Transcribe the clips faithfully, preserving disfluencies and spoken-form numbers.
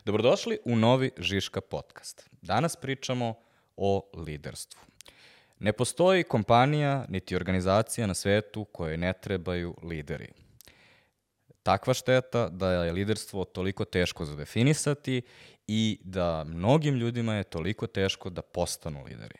Dobrodošli u novi Žiška podcast. Danas pričamo o liderstvu. Ne postoji kompanija niti organizacija na svetu kojoj ne trebaju lideri. Takva šteta da je liderstvo toliko teško za definisati i da mnogim ljudima je toliko teško da postanu lideri.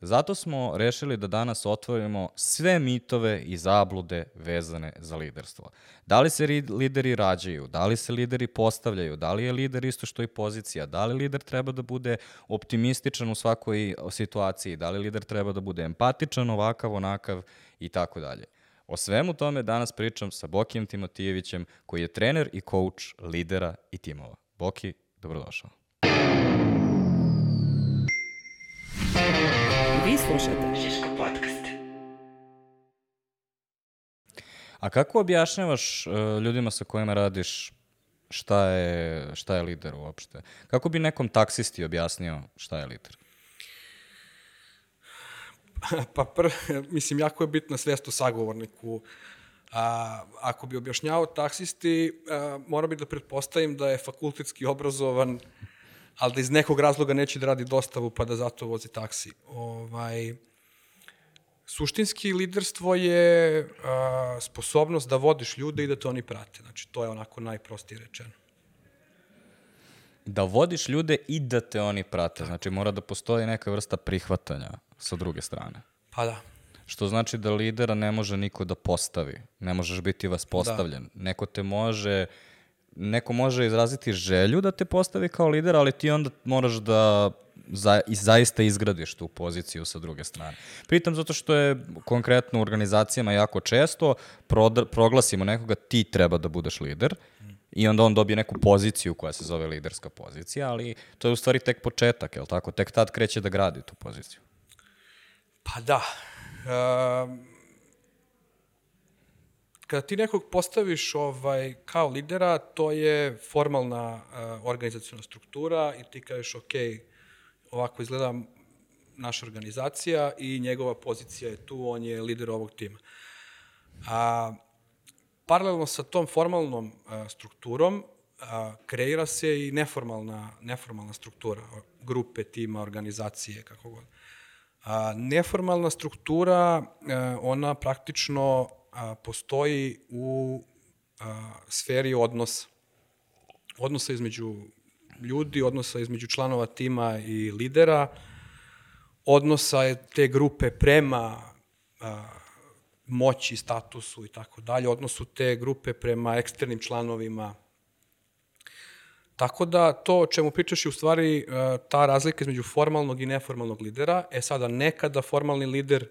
Zato smo rešili da danas otvorimo sve mitove i zablude vezane za liderstvo. Da li se lideri rađaju, da li se lideri postavljaju, da li je lider isto što i pozicija, da li lider treba da bude optimističan u svakoj situaciji, da li lider treba da bude empatičan, ovakav, onakav i tako dalje. O svemu tome danas pričam sa Bokijem Timotijevićem, koji je trener i coach lidera i timova. Boki, dobrodošao. Vi slušate Žiško podcast. A kako objašnjavaš uh, ljudima sa kojima radiš šta je, šta je lider uopšte? Kako bi nekom taksisti objasnio šta je lider? Pa prvo, mislim, jako je bitna svest o sagovorniku. A, ako bi objašnjavao taksisti, a, mora bi da pretpostavim da je fakultetski obrazovan, ali da iz nekog razloga neće da radi dostavu pa da zato vozi taksi. Ovaj, suštinski liderstvo je a, sposobnost da vodiš ljude i da te oni prate. Znači, to je onako najprostije rečeno. Da vodiš ljude i da te oni prate. Znači, mora da postoji neka vrsta prihvatanja sa druge strane. Pa da. Što znači da lidera ne može niko da postavi. Ne možeš biti vaspostavljen. Da. Neko te može... Neko može izraziti želju da te postavi kao lider, ali ti onda moraš da za, i zaista izgradiš tu poziciju sa druge strane. Pritom zato što je konkretno u organizacijama jako često prodr, proglasimo nekoga, ti treba da budeš lider i onda on dobije neku poziciju koja se zove liderska pozicija, ali to je u stvari tek početak, je li tako? Tek tad kreće da gradi tu poziciju. Pa da. Um... Kada ti nekog postaviš ovaj, kao lidera, to je formalna uh, organizacijona struktura i ti kažeš, ok, ovako izgleda naša organizacija i njegova pozicija je tu, on je lider ovog tima. A, paralelno sa tom formalnom uh, strukturom uh, kreira se i neformalna, neformalna struktura, grupe, tima, organizacije, kako god. A, neformalna struktura, uh, ona praktično A, postoji u a, sferi odnosa. Odnosa između ljudi, odnosa između članova tima i lidera, odnosa je te grupe prema a, moći, statusu i tako dalje, odnosu te grupe prema eksternim članovima. Tako da to o čemu pričaš je u stvari a, ta razlika između formalnog i neformalnog lidera. E sada, nekada formalni lider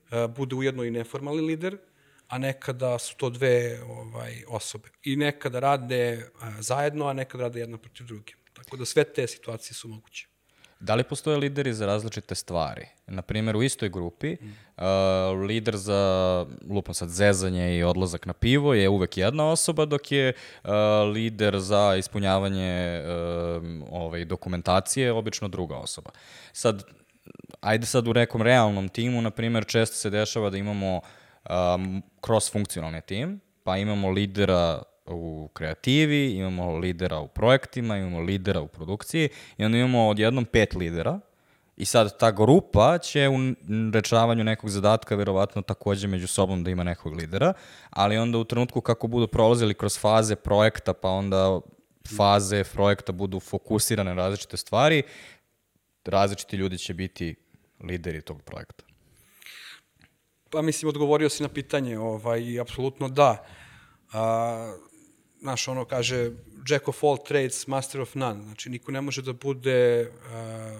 a, bude ujedno i neformalni lider, a nekada su to dve ovaj, osobe. I nekada rade a, zajedno, a nekada rade jedna protiv druge. Tako da sve te situacije su moguće. Da li postoje lideri za različite stvari? Naprimjer, u istoj grupi, mm. uh, lider za, lupam sad, zezanje i odlazak na pivo je uvek jedna osoba, dok je uh, lider za ispunjavanje uh, ovaj, dokumentacije obično druga osoba. Sad, ajde sad u nekom realnom timu, naprimjer, često se dešava da imamo Um, cross-funkcionalni tim, pa imamo lidera u kreativi, imamo lidera u projektima, imamo lidera u produkciji i onda imamo odjednom pet lidera i sad ta grupa će u rečavanju nekog zadatka verovatno takođe među sobom da ima nekog lidera, ali onda u trenutku kako budu prolazili kroz faze projekta, pa onda faze projekta budu fokusirane na različite stvari, različiti ljudi će biti lideri tog projekta. Pa mislim, odgovorio si na pitanje, ovaj, apsolutno da. A, znaš, ono kaže, Jack of all trades, master of none. Znači, niko ne može da bude a,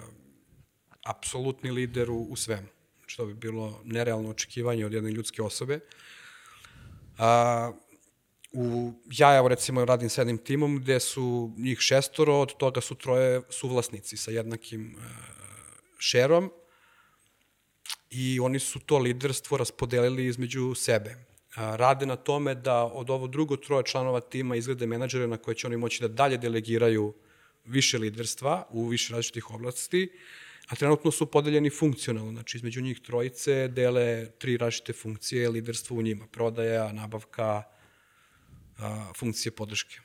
apsolutni lider u, u svemu. Znači, to bi bilo nerealno očekivanje od jedne ljudske osobe. A, u, ja, evo, recimo, radim sa jednim timom gde su njih šestoro, od toga su troje suvlasnici sa jednakim a, šerom. I oni su to liderstvo raspodelili između sebe. Rade na tome da od ovo drugo troje članova tima izglede menadžere na koje će oni moći da dalje delegiraju više liderstva u više različitih oblasti, a trenutno su podeljeni funkcionalno. Znači, između njih trojice dele tri različite funkcije liderstva u njima. Prodaja, nabavka, funkcije podrške.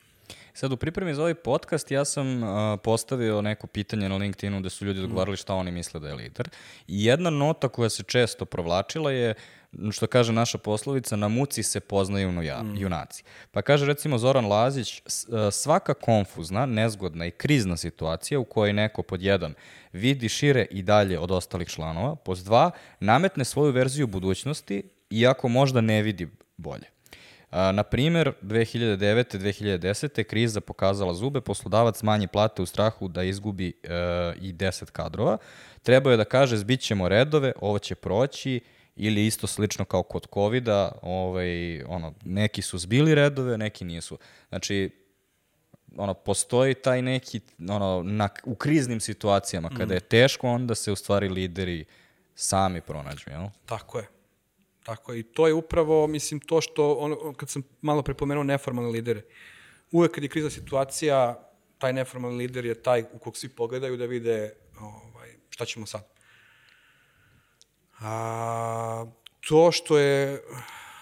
Sad, u pripremi za ovaj podcast ja sam uh, postavio neko pitanje na LinkedInu gde su ljudi odgovarali šta oni misle da je lider. I jedna nota koja se često provlačila je, što kaže naša poslovica, na muci se poznaju nuja, mm. junaci. Pa kaže recimo Zoran Lazić, svaka konfuzna, nezgodna i krizna situacija u kojoj neko pod jedan vidi šire i dalje od ostalih članova, pod dva nametne svoju verziju budućnosti, iako možda ne vidi bolje. Na primer, dve hiljade devete. dve hiljade desete. kriza pokazala zube, poslodavac smanji plate u strahu da izgubi e, i deset kadrova. Trebao je da kaže, zbit ćemo redove, ovo će proći, ili isto slično kao kod kovida, ovaj, ono, neki su zbili redove, neki nisu. Znači, ono, postoji taj neki, ono, na, u kriznim situacijama, kada je teško, onda se u stvari lideri sami pronađu, jel? Tako je. Tako je. I to je upravo, mislim, to što, ono, kad sam malo prepomenuo neformalne lidere, uvek kad je krizna situacija, taj neformalni lider je taj u kog svi pogledaju da vide ovaj, šta ćemo sad. A, to što je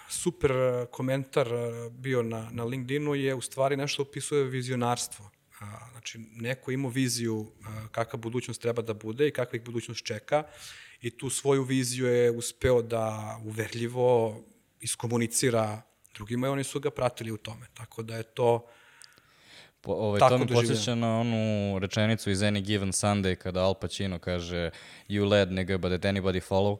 super komentar bio na, na LinkedInu je u stvari nešto opisuje vizionarstvo. A, znači, neko ima viziju a, kakva budućnost treba da bude i kakva ih budućnost čeka i tu svoju viziju je uspeo da uverljivo iskomunicira drugima i oni su ga pratili u tome. Tako da je to Po, ovaj, to mi podsjeća na onu rečenicu iz Any Given Sunday kada Al Pacino kaže you led nigga but did anybody follow?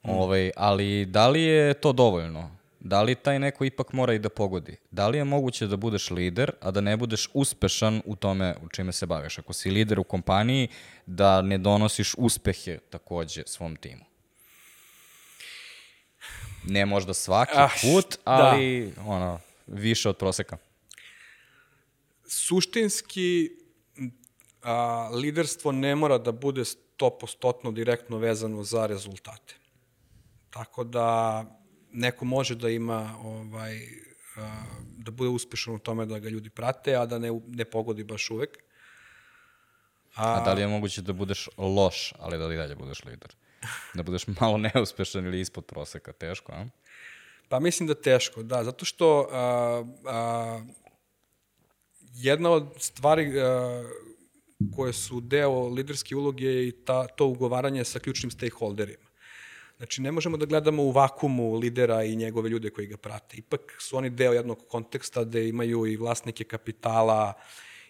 Mm. Ovaj, ali da li je to dovoljno? Da li taj neko ipak mora i da pogodi? Da li je moguće da budeš lider, a da ne budeš uspešan u tome u čime se baviš? Ako si lider u kompaniji, da ne donosiš uspehe takođe svom timu? Ne možda svaki ah, put, ali da. ono, više od proseka. Suštinski, a, liderstvo ne mora da bude sto posto direktno vezano za rezultate. Tako da neko može da ima, ovaj, a, da bude uspešan u tome da ga ljudi prate, a da ne, ne pogodi baš uvek. A, a da li je moguće da budeš loš, ali da li dalje budeš lider? Da budeš malo neuspešan ili ispod proseka? Teško, a? Pa mislim da teško, da. Zato što a, a, jedna od stvari uh, koje su deo liderske uloge je i ta, to ugovaranje sa ključnim stakeholderima. Znači, ne možemo da gledamo u vakumu lidera i njegove ljude koji ga prate. Ipak su oni deo jednog konteksta gde imaju i vlasnike kapitala,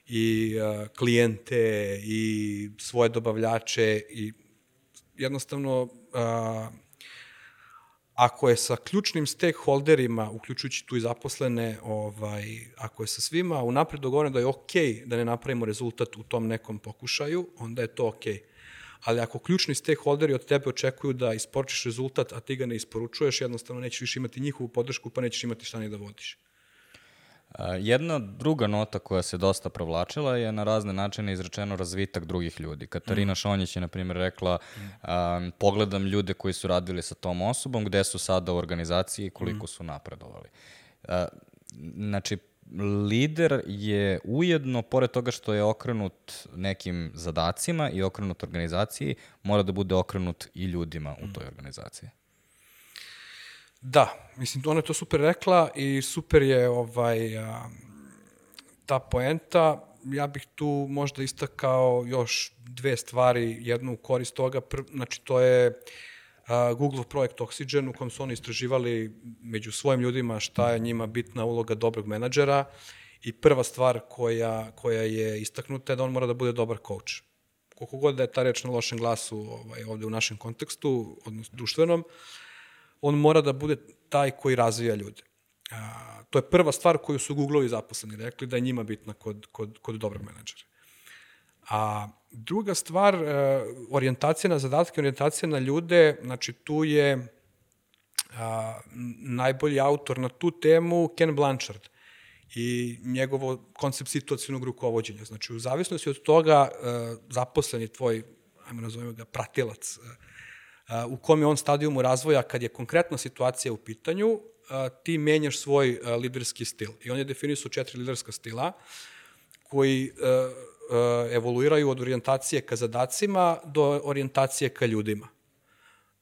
i uh, klijente, i svoje dobavljače, i jednostavno uh, ako je sa ključnim stakeholderima, uključujući tu i zaposlene, ovaj, ako je sa svima unapred dogovoreno da je okej da ne napravimo rezultat u tom nekom pokušaju, onda je to okej. Ali ako ključni stakeholderi od tebe očekuju da isporučiš rezultat, a ti ga ne isporučuješ, jednostavno nećeš više imati njihovu podršku, pa nećeš imati šta ni da vodiš. Jedna druga nota koja se dosta provlačila je na razne načine izrečeno razvitak drugih ljudi. Katarina mm. Šonjić je, na primjer, rekla mm. um, pogledam ljude koji su radili sa tom osobom, gde su sada u organizaciji i koliko mm. su napredovali. Uh, znači, lider je ujedno, pored toga što je okrenut nekim zadacima i okrenut organizaciji, mora da bude okrenut i ljudima u toj organizaciji. Da, mislim, ona je to super rekla i super je ovaj, a, ta poenta. Ja bih tu možda istakao još dve stvari, jednu u korist toga. Pr, znači, to je a, Google projekt Oxygen u kom su oni istraživali među svojim ljudima šta je njima bitna uloga dobrog menadžera i prva stvar koja, koja je istaknuta je da on mora da bude dobar coach. Koliko god da je ta reč na lošem glasu ovaj, ovde u našem kontekstu, odnosno društvenom, on mora da bude taj koji razvija ljude. A, to je prva stvar koju su Google-ovi zaposleni rekli da je njima bitna kod, kod, kod dobrog menadžera. A druga stvar, orijentacija na zadatke, orijentacija na ljude, znači tu je a, najbolji autor na tu temu Ken Blanchard i njegovo koncept situacionog rukovođenja. Znači, u zavisnosti od toga a, zaposleni tvoj, ajmo nazovimo ga, pratilac, a, u kom je on stadijumu razvoja kad je konkretna situacija u pitanju, a, ti menjaš svoj a, liderski stil. I on je definisao četiri liderska stila koji a, a, evoluiraju od orijentacije ka zadacima do orijentacije ka ljudima.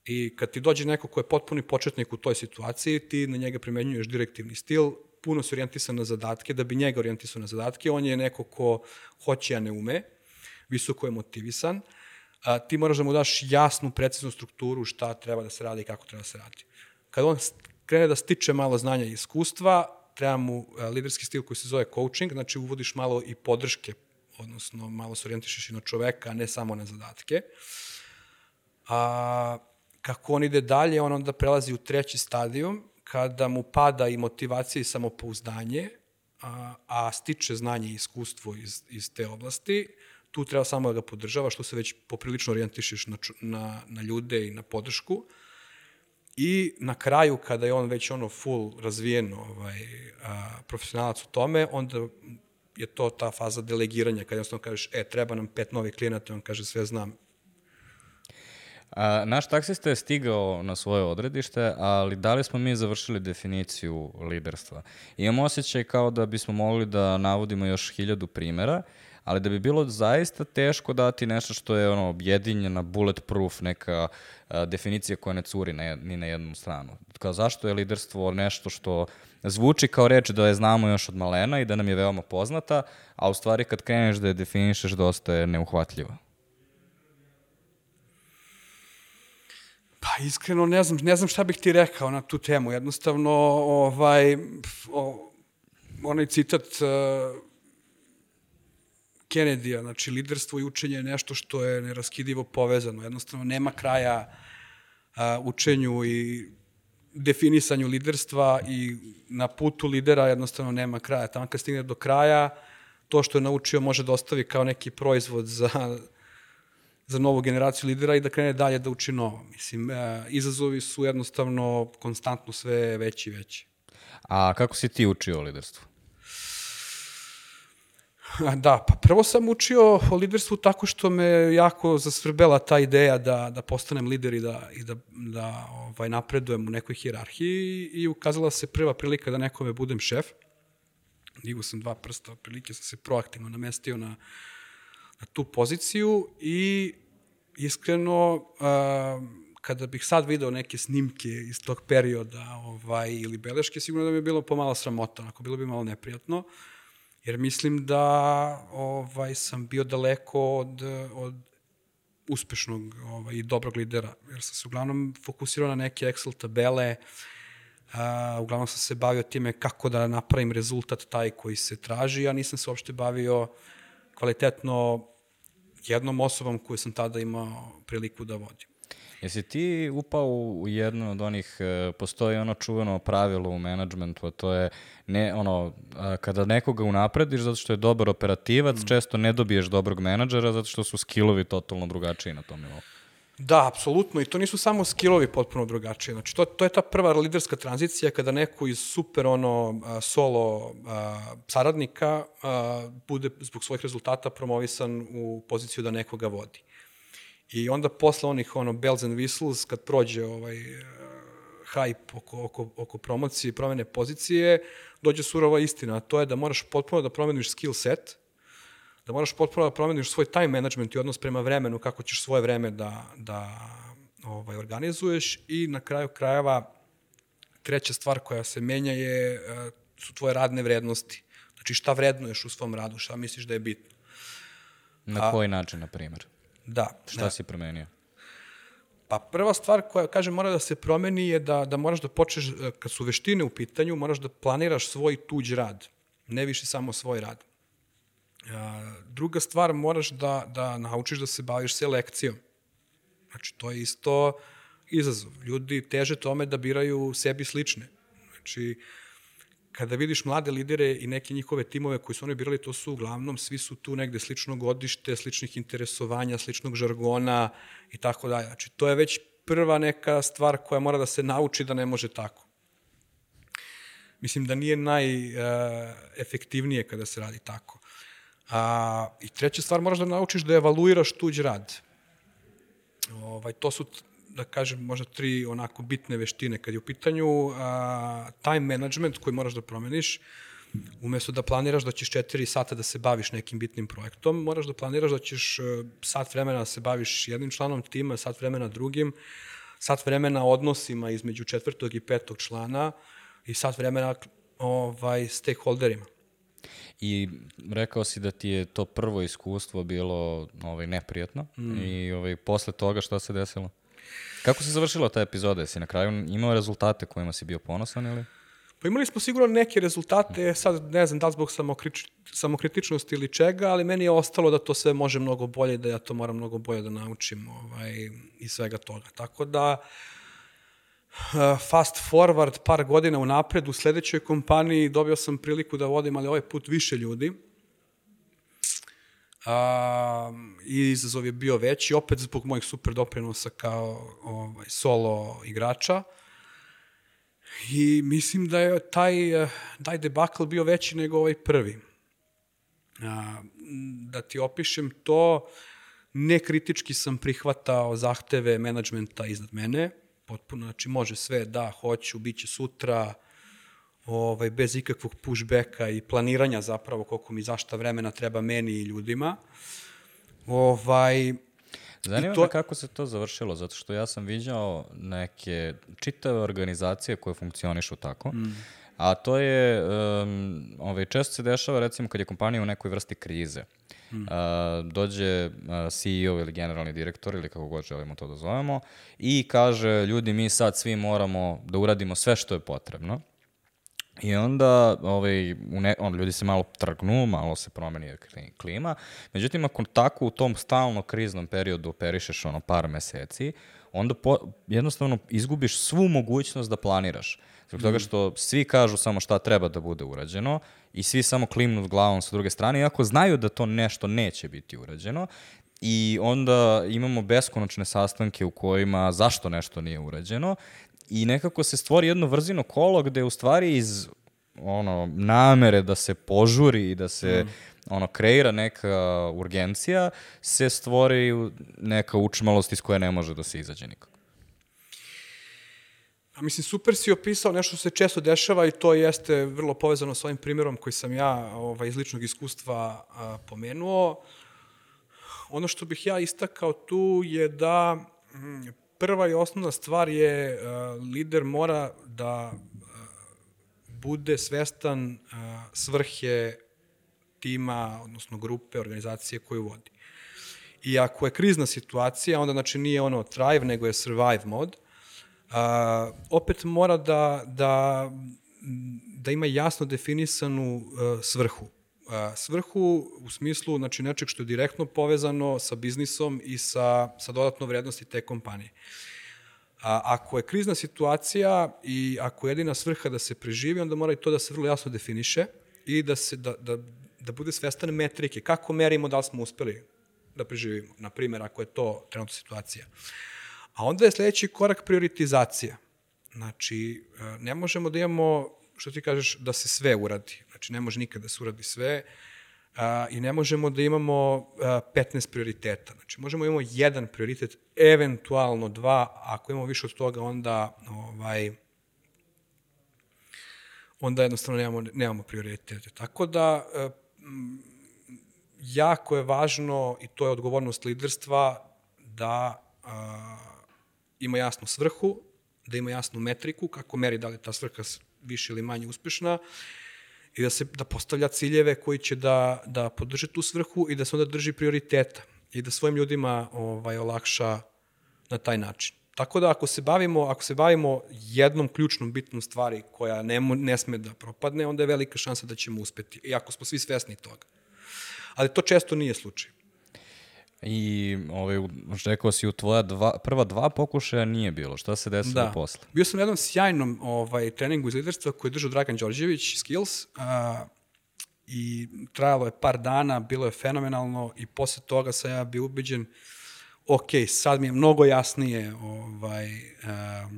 I kad ti dođe neko ko je potpuni početnik u toj situaciji, ti na njega primenjuješ direktivni stil, puno se orijentisan na zadatke, da bi njega orijentisao na zadatke. On je neko ko hoće, a ne ume, visoko je motivisan. A, ti moraš da mu daš jasnu, preciznu strukturu šta treba da se radi i kako treba da se radi. Kad on krene da stiče malo znanja i iskustva, treba mu a, liderski stil koji se zove coaching, znači uvodiš malo i podrške, odnosno malo se orijentišeš i na čoveka, a ne samo na zadatke. A kako on ide dalje, on onda prelazi u treći stadijum, kada mu pada i motivacija i samopouzdanje, a, a stiče znanje i iskustvo iz, iz te oblasti, tu treba samo da ga podržavaš, tu se već poprilično orijentišeš na, na, na ljude i na podršku. I na kraju, kada je on već ono full razvijen ovaj, a, profesionalac u tome, onda je to ta faza delegiranja, kada jednostavno kažeš, e, treba nam pet novih klijenata, on kaže, sve znam. A, naš taksista je stigao na svoje odredište, ali da li smo mi završili definiciju liderstva? Imam osjećaj kao da bismo mogli da navodimo još hiljadu primera, ali da bi bilo zaista teško dati nešto što je ono objedinjena, bulletproof, neka a, definicija koja ne curi na, ni na jednu stranu. Kao zašto je liderstvo nešto što zvuči kao reč da je znamo još od malena i da nam je veoma poznata, a u stvari kad kreneš da je definišeš dosta je neuhvatljiva. Pa iskreno ne znam, ne znam šta bih ti rekao na tu temu. Jednostavno, ovaj, o, onaj citat uh, Kennedy-a, znači liderstvo i učenje je nešto što je neraskidivo povezano. Jednostavno, nema kraja uh, učenju i definisanju liderstva i na putu lidera jednostavno nema kraja. Tamo kad stigne do kraja, to što je naučio može da ostavi kao neki proizvod za za novu generaciju lidera i da krene dalje da uči novo. Mislim, e, izazovi su jednostavno konstantno sve veći i veći. A kako si ti učio o liderstvu? Da, pa prvo sam učio o liderstvu tako što me jako zasvrbela ta ideja da, da postanem lider i da, i da, da ovaj, napredujem u nekoj hijerarhiji i ukazala se prva prilika da nekome budem šef. Digao sam dva prsta, otprilike sam se proaktivno namestio na na tu poziciju i iskreno a, kada bih sad video neke snimke iz tog perioda ovaj, ili beleške, sigurno da mi je bilo pomalo sramota, onako bilo bi malo neprijatno, jer mislim da ovaj, sam bio daleko od, od uspešnog ovaj, i dobrog lidera, jer sam se uglavnom fokusirao na neke Excel tabele, a, uglavnom sam se bavio time kako da napravim rezultat taj koji se traži, a nisam se uopšte bavio kvalitetno jednom osobom koju sam tada imao priliku da vodim. Jesi ti upao u jednu od onih, postoji ono čuveno pravilo u menadžmentu, a to je ne, ono, kada nekoga unaprediš zato što je dobar operativac, mm. često ne dobiješ dobrog menadžera zato što su skillovi totalno drugačiji na tom nivou. Da, apsolutno. I to nisu samo skillovi potpuno drugačiji. Znači, to, to je ta prva liderska tranzicija kada neko iz super ono solo a, saradnika a, bude zbog svojih rezultata promovisan u poziciju da nekoga vodi. I onda posle onih ono bells and whistles, kad prođe ovaj hype oko, oko, oko promocije i promene pozicije, dođe surova istina. To je da moraš potpuno da promeniš skill set, da moraš potpuno da promeniš svoj time management i odnos prema vremenu, kako ćeš svoje vreme da, da ovaj, organizuješ i na kraju krajeva treća stvar koja se menja je, su tvoje radne vrednosti. Znači šta vrednuješ u svom radu, šta misliš da je bitno. Na koji način, na primjer? Da. Šta da. si promenio? Pa prva stvar koja, kažem, mora da se promeni je da, da moraš da počneš, kad su veštine u pitanju, moraš da planiraš svoj tuđ rad, ne više samo svoj rad. Druga stvar, moraš da, da naučiš da se baviš selekcijom. Znači, to je isto izazov. Ljudi teže tome da biraju sebi slične. Znači, kada vidiš mlade lidere i neke njihove timove koji su oni birali, to su uglavnom, svi su tu negde slično godište, sličnih interesovanja, sličnog žargona i tako dalje. Znači, to je već prva neka stvar koja mora da se nauči da ne može tako. Mislim da nije najefektivnije kada se radi tako. A, I treća stvar, moraš da naučiš da evaluiraš tuđ rad. Ovaj, to su, da kažem, možda tri onako bitne veštine. Kad je u pitanju a, time management koji moraš da promeniš, umesto da planiraš da ćeš četiri sata da se baviš nekim bitnim projektom, moraš da planiraš da ćeš sat vremena da se baviš jednim članom tima, sat vremena drugim, sat vremena odnosima između četvrtog i petog člana i sat vremena ovaj, stakeholderima. I rekao si da ti je to prvo iskustvo bilo ovaj, neprijatno mm. i ovaj, posle toga šta se desilo? Kako se završila ta epizoda? Jesi na kraju imao rezultate kojima si bio ponosan ili? Pa imali smo sigurno neke rezultate, sad ne znam da li zbog samokrič, samokritičnosti ili čega, ali meni je ostalo da to sve može mnogo bolje, da ja to moram mnogo bolje da naučim ovaj, i svega toga. Tako da, fast forward par godina unapred, u sledećoj kompaniji dobio sam priliku da vodim, ali ovaj put više ljudi. A, i izazov je bio veći, opet zbog mojih super doprinosa kao ovaj, solo igrača. I mislim da je taj, taj debakl bio veći nego ovaj prvi. A, da ti opišem to, nekritički sam prihvatao zahteve menadžmenta iznad mene, potpuno, znači može sve, da, hoću, bit će sutra, ovaj, bez ikakvog pushbacka i planiranja zapravo koliko mi zašta vremena treba meni i ljudima. Ovaj, Zanima to... me kako se to završilo, zato što ja sam viđao neke čitave organizacije koje funkcionišu tako, mm. a to je, um, ovaj, često se dešava recimo kad je kompanija u nekoj vrsti krize. Mm. Uh, dođe uh, C E O ili generalni direktor ili kako god želimo to da zovemo i kaže ljudi mi sad svi moramo da uradimo sve što je potrebno. I onda ovaj, u ne, on, ljudi se malo trgnu, malo se promeni klima. Međutim, ako tako u tom stalno kriznom periodu operišeš ono par meseci, onda po, jednostavno izgubiš svu mogućnost da planiraš. Zbog toga što svi kažu samo šta treba da bude urađeno i svi samo klimnu glavom sa druge strane, iako znaju da to nešto neće biti urađeno. I onda imamo beskonačne sastanke u kojima zašto nešto nije urađeno. I nekako se stvori jedno vrzino kolo gde u stvari iz ono, namere da se požuri i da se mm. ono, kreira neka urgencija, se stvori neka učmalost iz koje ne može da se izađe nikako. A mislim, super si opisao nešto što se često dešava i to jeste vrlo povezano s ovim primjerom koji sam ja ovaj, iz ličnog iskustva a, pomenuo. Ono što bih ja istakao tu je da mm, prva i osnovna stvar je uh, lider mora da uh, bude svestan uh, svrhe tima, odnosno grupe, organizacije koju vodi. I ako je krizna situacija, onda znači nije ono thrive, nego je survive mod. Uh, opet mora da, da, da ima jasno definisanu uh, svrhu. Uh, svrhu u smislu znači, nečeg što je direktno povezano sa biznisom i sa, sa dodatnom vrednosti te kompanije. A, ako je krizna situacija i ako je jedina svrha da se preživi, onda mora i to da se vrlo jasno definiše i da, se, da, da, da bude svestan metrike. Kako merimo da li smo uspeli da preživimo? Na primjer, ako je to trenutna situacija. A onda je sledeći korak prioritizacija. Znači, ne možemo da imamo, što ti kažeš, da se sve uradi. Znači, ne može nikad da se uradi sve a, i ne možemo da imamo a, petnaest prioriteta. Znači, možemo da imamo jedan prioritet, eventualno dva, ako imamo više od toga, onda ovaj, onda jednostavno nemamo, nemamo prioritete. Tako da, a, m, jako je važno, i to je odgovornost liderstva, da a, ima jasnu svrhu, da ima jasnu metriku, kako meri da li ta svrha više ili manje uspešna, i da se da postavlja ciljeve koji će da, da podrže tu svrhu i da se onda drži prioriteta i da svojim ljudima ovaj, olakša na taj način. Tako da ako se bavimo, ako se bavimo jednom ključnom bitnom stvari koja ne, ne sme da propadne, onda je velika šansa da ćemo uspeti, iako smo svi svesni toga. Ali to često nije slučaj. I ovaj, rekao si u tvoja dva, prva dva pokušaja nije bilo. Šta se desilo da. posle? Bio sam na jednom sjajnom ovaj, treningu iz liderstva koji je držao Dragan Đorđević, Skills, a, i trajalo je par dana, bilo je fenomenalno i posle toga sam ja bio ubeđen, ok, sad mi je mnogo jasnije ovaj, a,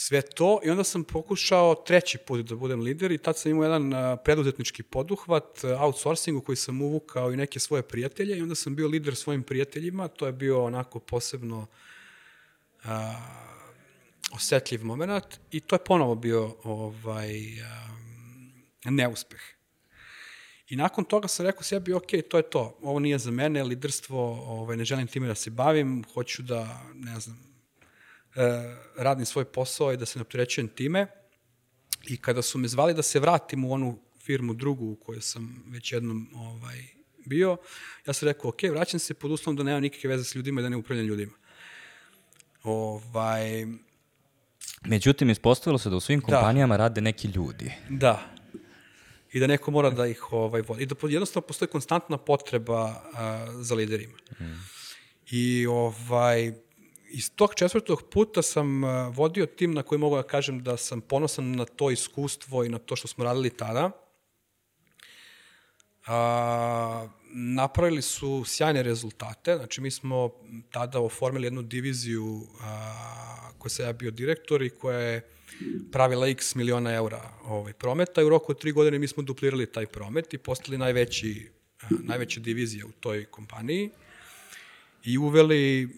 sve to i onda sam pokušao treći put da budem lider i tad sam imao jedan uh, preduzetnički poduhvat, uh, outsourcingu koji sam uvukao i neke svoje prijatelje i onda sam bio lider svojim prijateljima, to je bio onako posebno uh, osetljiv moment i to je ponovo bio ovaj, um, neuspeh. I nakon toga sam rekao sebi, ok, to je to, ovo nije za mene, liderstvo, ovaj, ne želim time da se bavim, hoću da, ne znam, radim svoj posao i da se ne opterećujem time. I kada su me zvali da se vratim u onu firmu drugu u kojoj sam već jednom ovaj, bio, ja sam rekao, ok, vraćam se pod uslovom da nema nikakve veze s ljudima i da ne upravljam ljudima. Ovaj, Međutim, ispostavilo se da u svim kompanijama da. rade neki ljudi. Da. I da neko mora da ih ovaj, vodi. I da jednostavno postoji konstantna potreba a, za liderima. Mm. I ovaj, iz tog četvrtog puta sam a, vodio tim na koji mogu da kažem da sam ponosan na to iskustvo i na to što smo radili tada. A, napravili su sjajne rezultate. Znači, mi smo tada oformili jednu diviziju a, koja sam ja bio direktor i koja je pravila x miliona eura ovaj, prometa i u roku od tri godine mi smo duplirali taj promet i postali najveći, najveća divizija u toj kompaniji i uveli,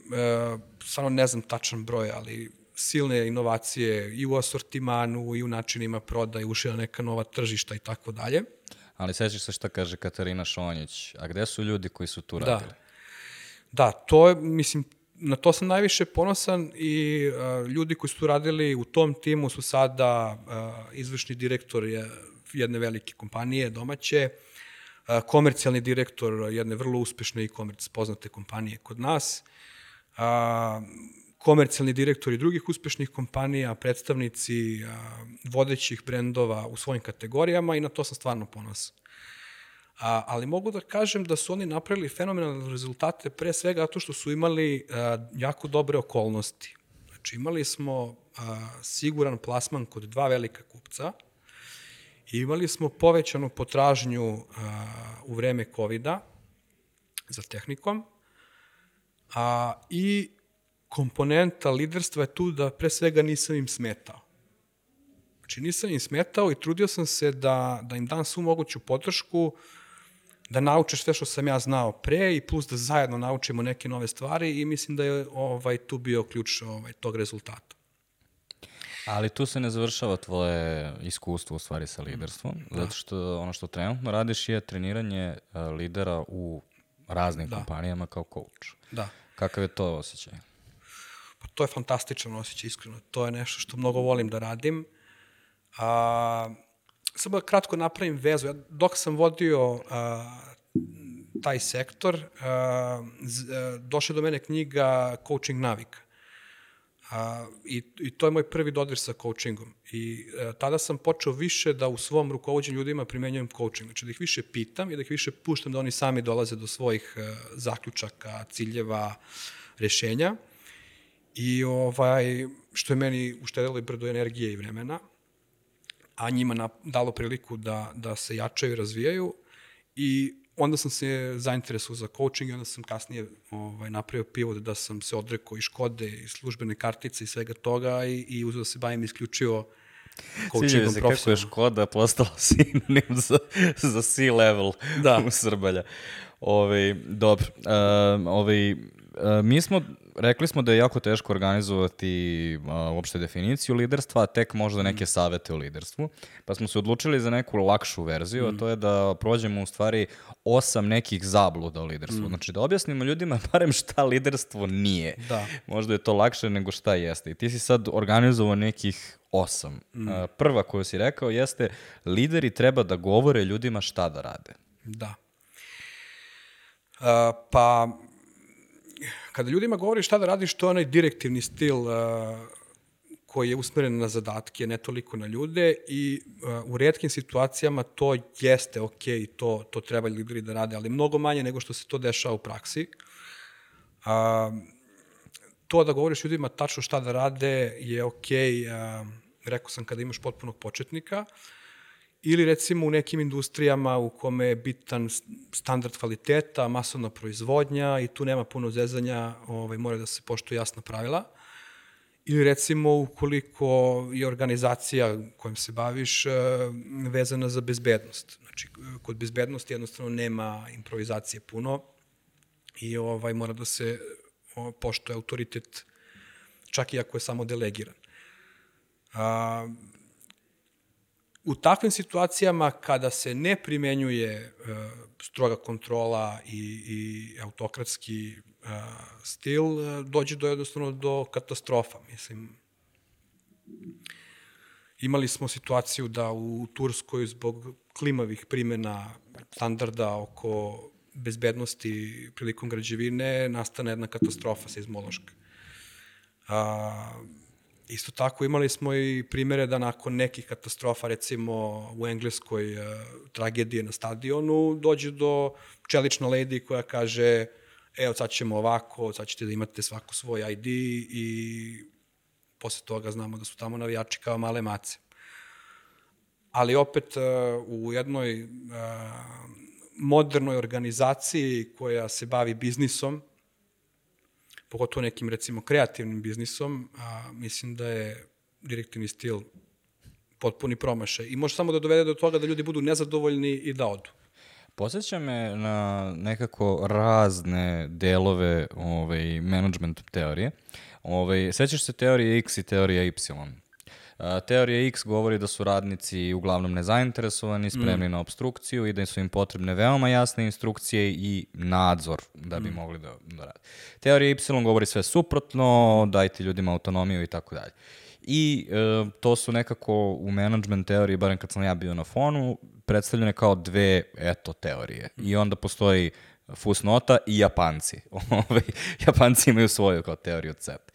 stvarno ne znam tačan broj, ali silne inovacije i u asortimanu i u načinima prodaje, ušli na neka nova tržišta i tako dalje. Ali sećaš se šta kaže Katarina Šonjić, a gde su ljudi koji su tu radili? Da, da to je, mislim, na to sam najviše ponosan i uh, ljudi koji su radili u tom timu su sada uh, izvršni direktor jedne velike kompanije domaće, uh, komercijalni direktor jedne vrlo uspešne e-commerce poznate kompanije kod nas, uh, komercijalni direktori drugih uspešnih kompanija, predstavnici uh, vodećih brendova u svojim kategorijama i na to sam stvarno ponosan. A, ali mogu da kažem da su oni napravili fenomenalne rezultate pre svega zato što su imali a, jako dobre okolnosti. Znači imali smo a, siguran plasman kod dva velika kupca i imali smo povećanu potražnju a, u vreme kovida za tehnikom a, i komponenta liderstva je tu da pre svega nisam im smetao. Znači nisam im smetao i trudio sam se da, da im dam svu moguću podršku, da nauče sve što sam ja znao pre i plus da zajedno naučimo neke nove stvari i mislim da je ovaj, tu bio ključ ovaj, tog rezultata. Ali tu se ne završava tvoje iskustvo u stvari sa liderstvom, da. Zato što ono što trenutno radiš je treniranje uh, lidera u raznim da. kompanijama kao coach. Da. Kakav je to osjećaj? Pa to je fantastičan osjećaj, iskreno. To je nešto što mnogo volim da radim. A, samo da kratko napravim vezu. Ja, dok sam vodio a, taj sektor, a, z, a, došla do mene knjiga Coaching navika. A, i, I to je moj prvi dodir sa coachingom. I a, tada sam počeo više da u svom rukovođenju ljudima primenjujem coaching. Znači da ih više pitam i da ih više puštam da oni sami dolaze do svojih a, zaključaka, ciljeva, rešenja. I ovaj, što je meni uštedilo i brdo energije i vremena, a njima na, dalo priliku da, da se jačaju i razvijaju. I onda sam se zainteresovao za coaching i onda sam kasnije ovaj, napravio pivot da sam se odrekao i Škode, i službene kartice i svega toga i, i uzeo da se bavim isključivo coachingom profesionalno. Kako je Škoda postala sinonim za, za C-level da. u Srbalja. Ove, dobro, uh, ove, uh, mi smo, rekli smo da je jako teško organizovati uh, uopšte definiciju liderstva, a tek možda neke savete o liderstvu, pa smo se odlučili za neku lakšu verziju, mm. a to je da prođemo u stvari osam nekih zabluda o liderstvu. Mm. Znači da objasnimo ljudima barem šta liderstvo nije. Da. Možda je to lakše nego šta jeste. I ti si sad organizovao nekih osam. Mm. Uh, prva koju si rekao jeste lideri treba da govore ljudima šta da rade. Da. Uh, pa, kada ljudima govori šta da radiš, to je onaj direktivni stil uh, koji je usmeren na zadatke, ne toliko na ljude i uh, u retkim situacijama to jeste ok, to, to treba lideri da rade, ali mnogo manje nego što se to dešava u praksi. Uh, to da govoriš ljudima tačno šta da rade je ok, uh, rekao sam kada imaš potpunog početnika, ili recimo u nekim industrijama u kome je bitan standard kvaliteta, masovna proizvodnja i tu nema puno zezanja, ovaj, mora da se poštuje jasna pravila. Ili recimo ukoliko je organizacija kojom se baviš vezana za bezbednost. Znači, kod bezbednosti jednostavno nema improvizacije puno i ovaj, mora da se poštuje autoritet čak i ako je samo delegiran. A, U takvim situacijama kada se ne primenjuje uh, stroga kontrola i, i autokratski uh, stil, uh, dođe do jednostavno do katastrofa, mislim. Imali smo situaciju da u Turskoj zbog klimavih primjena standarda oko bezbednosti prilikom građevine nastane jedna katastrofa seizmološka. A, isto tako imali smo i primere da nakon nekih katastrofa, recimo u Engleskoj a, tragedije na stadionu, dođe do čelična lady koja kaže evo sad ćemo ovako, sad ćete da imate svako svoj I D i posle toga znamo da su tamo navijači kao male mace. Ali opet u jednoj modernoj organizaciji koja se bavi biznisom, pogotovo nekim recimo kreativnim biznisom, mislim da je direktivni stil potpuni promašaj. I može samo da dovede do toga da ljudi budu nezadovoljni i da odu. Posjeća me na nekako razne delove ovaj, management teorije. Ovaj, sećaš se teorije X i teorije Y? Uh, teorija X govori da su radnici uglavnom nezainteresovani, spremni mm. na obstrukciju i da su im potrebne veoma jasne instrukcije i nadzor da bi mm. mogli da, da rade. Teorija Y govori sve suprotno, dajte ljudima autonomiju i tako dalje. I uh, to su nekako u management teoriji, barem kad sam ja bio na fonu, predstavljene kao dve, eto, teorije. I onda postoji fusnota i Japanci. Japanci imaju svoju kao teoriju C E P.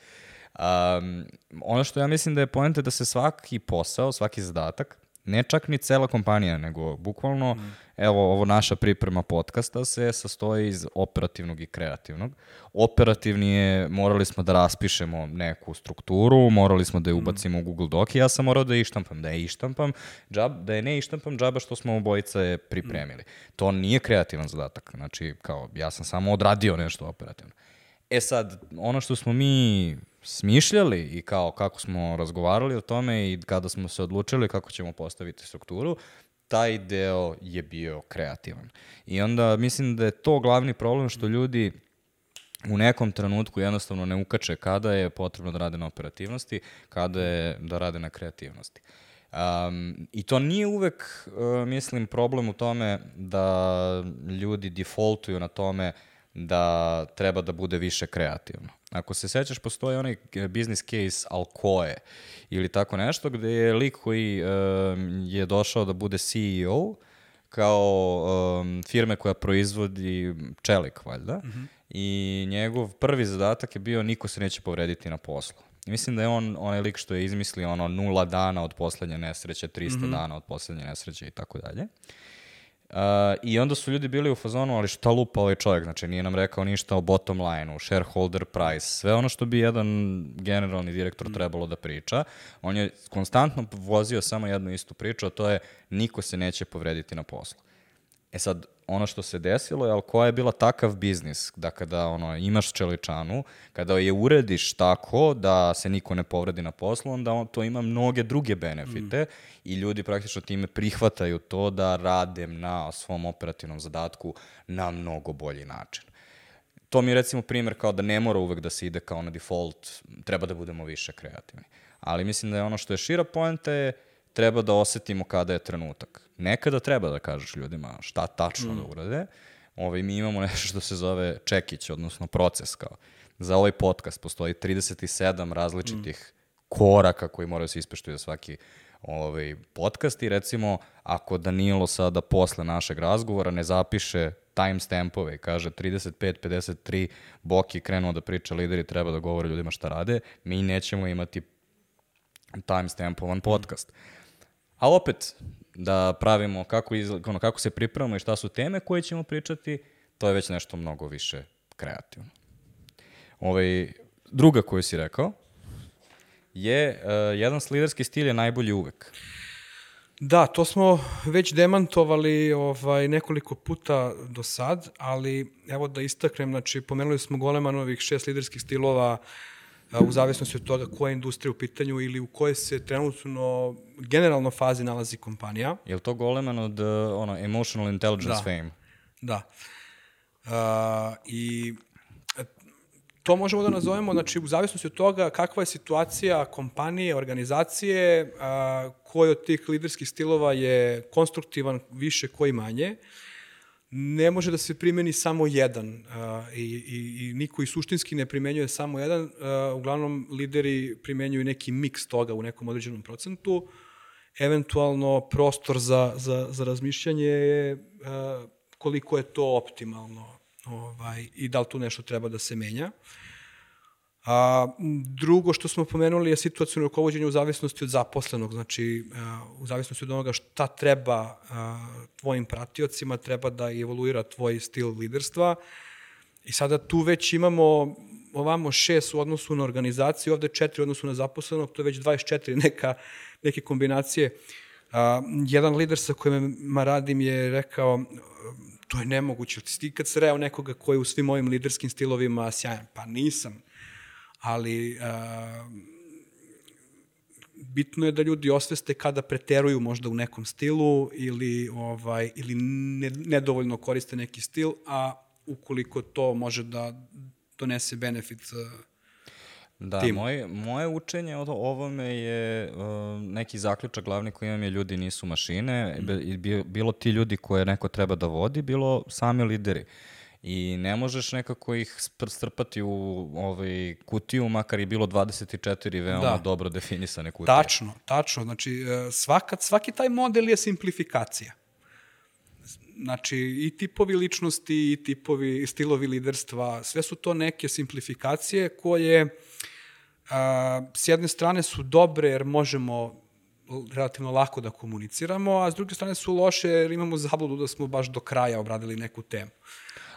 Um, ono što ja mislim da je poenta da se svaki posao, svaki zadatak, ne čak ni cela kompanija, nego bukvalno, mm. evo, ovo naša priprema podcasta se sastoji iz operativnog i kreativnog. Operativni je, morali smo da raspišemo neku strukturu, morali smo da je ubacimo mm. u Google Doc i ja sam morao da je ištampam. Da je ištampam, džab, da je ne ištampam džaba što smo obojica je pripremili. Mm. To nije kreativan zadatak, znači, kao, ja sam samo odradio nešto operativno. E sad, ono što smo mi smišljali i kao kako smo razgovarali o tome i kada smo se odlučili kako ćemo postaviti strukturu, taj deo je bio kreativan. I onda mislim da je to glavni problem što ljudi u nekom trenutku jednostavno ne ukače kada je potrebno da rade na operativnosti, kada je da rade na kreativnosti. Um, I to nije uvek, uh, mislim, problem u tome da ljudi defaultuju na tome da treba da bude više kreativno. Ako se sećaš, postoji onaj business case Alcoa ili tako nešto, gde je lik koji um, je došao da bude C E O kao um, firme koja proizvodi čelik, valjda, mm-hmm. i njegov prvi zadatak je bio niko se neće povrediti na poslu. I mislim da je on onaj lik što je izmislio ono nula dana od poslednje nesreće, trista mm-hmm. dana od poslednje nesreće i tako dalje. Uh, I onda su ljudi bili u fazonu, ali šta lupa ovaj čovjek, znači nije nam rekao ništa o bottom line-u, shareholder price, sve ono što bi jedan generalni direktor trebalo da priča. On je konstantno vozio samo jednu istu priču, a to je niko se neće povrediti na poslu. E sad, ono što se desilo je, ali koja je bila takav biznis, da kada ono, imaš čeličanu, kada je urediš tako da se niko ne povredi na poslu, onda on, to ima mnoge druge benefite mm. i ljudi praktično time prihvataju to da rade na svom operativnom zadatku na mnogo bolji način. To mi je recimo primjer kao da ne mora uvek da se ide kao na default, treba da budemo više kreativni. Ali mislim da je ono što je šira poenta je treba da osetimo kada je trenutak. Nekada treba da kažeš ljudima šta tačno mm. da urade. Ovaj, mi imamo nešto što se zove čekić, odnosno proces. Kao. Za ovaj podcast postoji trideset sedam različitih mm. koraka koji moraju se ispeštuju za svaki ovaj, podcast i recimo ako Danilo sada posle našeg razgovora ne zapiše timestampove i kaže trideset pet pedeset tri Boki krenuo da priča, lideri treba da govore ljudima šta rade, mi nećemo imati timestampovan podcast. A opet, da pravimo kako, izla, ono, kako se pripremamo i šta su teme koje ćemo pričati, to je već nešto mnogo više kreativno. Ovaj, druga koju si rekao je uh, jedan liderski stil je najbolji uvek. Da, to smo već demantovali ovaj, nekoliko puta do sad, ali evo da istaknem, znači pomenuli smo Golemanovih šest liderskih stilova u zavisnosti od toga koja je industrija u pitanju ili u kojoj se trenutno generalno fazi nalazi kompanija. Je li to Goleman od uh, ono, Emotional Intelligence da. Fame? Da. Uh, I to možemo da nazovemo, znači, u zavisnosti od toga kakva je situacija kompanije, organizacije, uh, koji od tih liderskih stilova je konstruktivan više, koji manje. Ne može da se primeni samo jedan uh, i, i, i niko i suštinski ne primenjuje samo jedan. Uh, uglavnom, lideri primenjuju neki miks toga u nekom određenom procentu. eventualno prostor za, za, za razmišljanje je uh, koliko je to optimalno ovaj, i da li tu nešto treba da se menja. A, drugo što smo pomenuli je situacijno rukovođenje u zavisnosti od zaposlenog, znači uh, u zavisnosti od onoga šta treba uh, tvojim pratiocima, treba da evoluira tvoj stil liderstva. I sada tu već imamo ovamo šest u odnosu na organizaciju, ovde četiri u odnosu na zaposlenog, to je već dvadeset četiri neka, neke kombinacije. Uh, jedan lider sa kojima radim je rekao, to je nemoguće, ti kad se reo nekoga koji je u svim ovim liderskim stilovima sjajan, pa nisam, ali uh, bitno je da ljudi osveste kada preteruju možda u nekom stilu ili, ovaj, ili ne, nedovoljno koriste neki stil, a ukoliko to može da donese benefit uh, Da, timu. moje, moje učenje o ovome je uh, neki zaključak glavni koji imam je ljudi nisu mašine, mm. Be, bilo ti ljudi koje neko treba da vodi, bilo sami lideri. I ne možeš nekako ih strpati u ovaj, kutiju, makar je bilo dvadeset četiri veoma da. dobro definisane kutije. Tačno, tačno. Znači, svaka, svaki taj model je simplifikacija. Znači, i tipovi ličnosti, i tipovi, i stilovi liderstva, sve su to neke simplifikacije koje a, s jedne strane su dobre jer možemo relativno lako da komuniciramo, a s druge strane su loše jer imamo zabludu da smo baš do kraja obradili neku temu.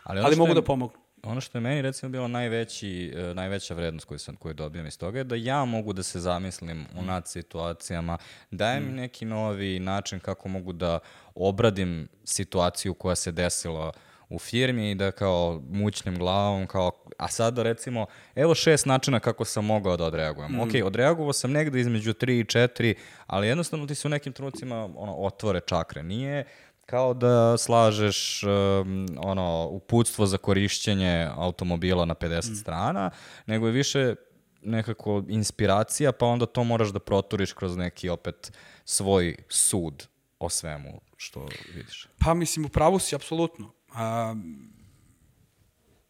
Ali, Ali mogu je, da pomognu. Ono što je meni recimo bilo najveći, uh, najveća vrednost koju sam koju dobijam iz toga je da ja mogu da se zamislim u nad situacijama, dajem mm. neki novi način kako mogu da obradim situaciju koja se desila u firmi i da kao mućnim glavom, kao, a sada recimo, evo šest načina kako sam mogao da odreagujem. Mm. Ok, odreagovao sam negde između tri i četiri, ali jednostavno ti se u nekim trenucima ono, otvore čakre. Nije kao da slažeš um, ono, uputstvo za korišćenje automobila na pedeset mm. strana, nego je više nekako inspiracija, pa onda to moraš da proturiš kroz neki opet svoj sud o svemu što vidiš. Pa mislim, u pravu si, apsolutno. A,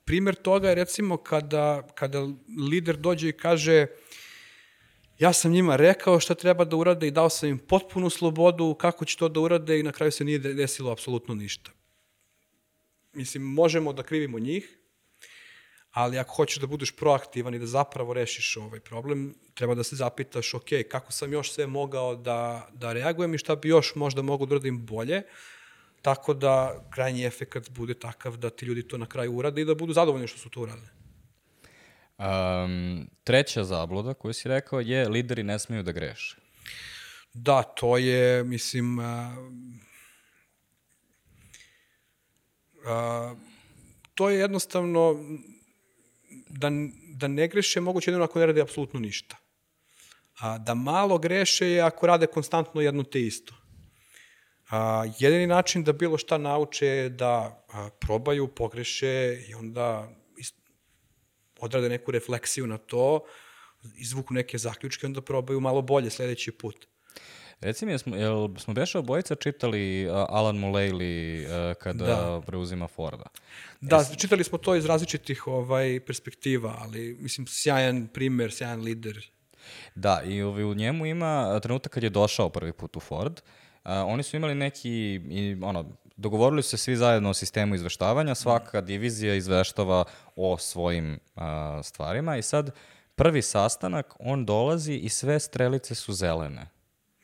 primer toga je recimo kada, kada lider dođe i kaže ja sam njima rekao šta treba da urade i dao sam im potpunu slobodu kako će to da urade i na kraju se nije desilo apsolutno ništa. Mislim, možemo da krivimo njih, ali ako hoćeš da budeš proaktivan i da zapravo rešiš ovaj problem, treba da se zapitaš, ok, kako sam još sve mogao da, da reagujem i šta bi još možda mogu da uradim bolje, tako da krajnji efekat bude takav da ti ljudi to na kraju urade i da budu zadovoljni što su to uradili. Um, treća zabluda koju si rekao je lideri ne smeju da greše. Da, to je, mislim, a, a, to je jednostavno da, da ne greše moguće jedino ako ne rade apsolutno ništa. A, da malo greše je ako rade konstantno jedno te isto. A, jedini način da bilo šta nauče je da a, probaju, pogreše i onda odrade neku refleksiju na to, izvuku neke zaključke, onda probaju malo bolje sledeći put. Reci mi, jesmo, jel smo beše obojica čitali uh, Alan Mulally uh, kada da. preuzima Forda? Da, Jes... čitali smo to iz različitih ovaj, perspektiva, ali mislim sjajan primer, sjajan lider. Da, i ovaj, u njemu ima trenutak kad je došao prvi put u Ford. Uh, oni su imali neki, i, ono, dogovorili su se svi zajedno o sistemu izveštavanja, svaka divizija izveštava o svojim uh, stvarima i sad prvi sastanak, on dolazi i sve strelice su zelene.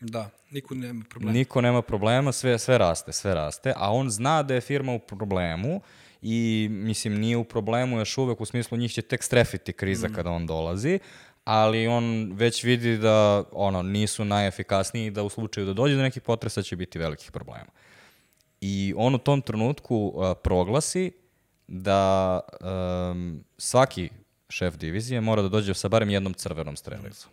Da, niko nema problema. Niko nema problema, sve, sve raste, sve raste, a on zna da je firma u problemu i, mislim, nije u problemu još uvek, u smislu njih će tek strefiti kriza mm. kada on dolazi, ali on već vidi da ono, nisu najefikasniji i da u slučaju da dođe do nekih potresa će biti velikih problema. I on u tom trenutku uh, proglasi da um, svaki šef divizije mora da dođe sa barem jednom crvenom strelicom.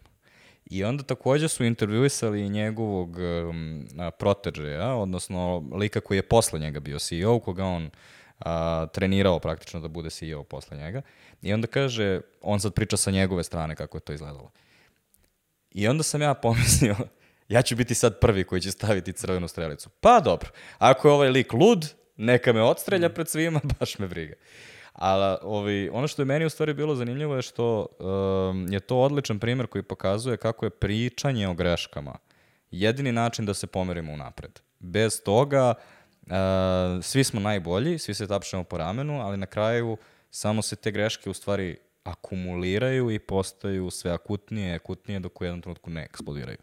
I onda takođe su intervjuisali njegovog um, proteđeja, odnosno lika koji je posle njega bio C E O, koga on uh, trenirao praktično da bude C E O posle njega. I onda kaže, on sad priča sa njegove strane kako je to izgledalo. I onda sam ja pomislio, ja ću biti sad prvi koji će staviti crvenu strelicu. Pa dobro, ako je ovaj lik lud, neka me odstrelja pred svima, baš me briga. Ali ovi, ono što je meni u stvari bilo zanimljivo je što um, je to odličan primjer koji pokazuje kako je pričanje o greškama jedini način da se pomerimo unapred. Bez toga, uh, svi smo najbolji, svi se tapšemo po ramenu, ali na kraju samo se te greške u stvari akumuliraju i postaju sve akutnije, akutnije dok u jednom trenutku ne eksplodiraju.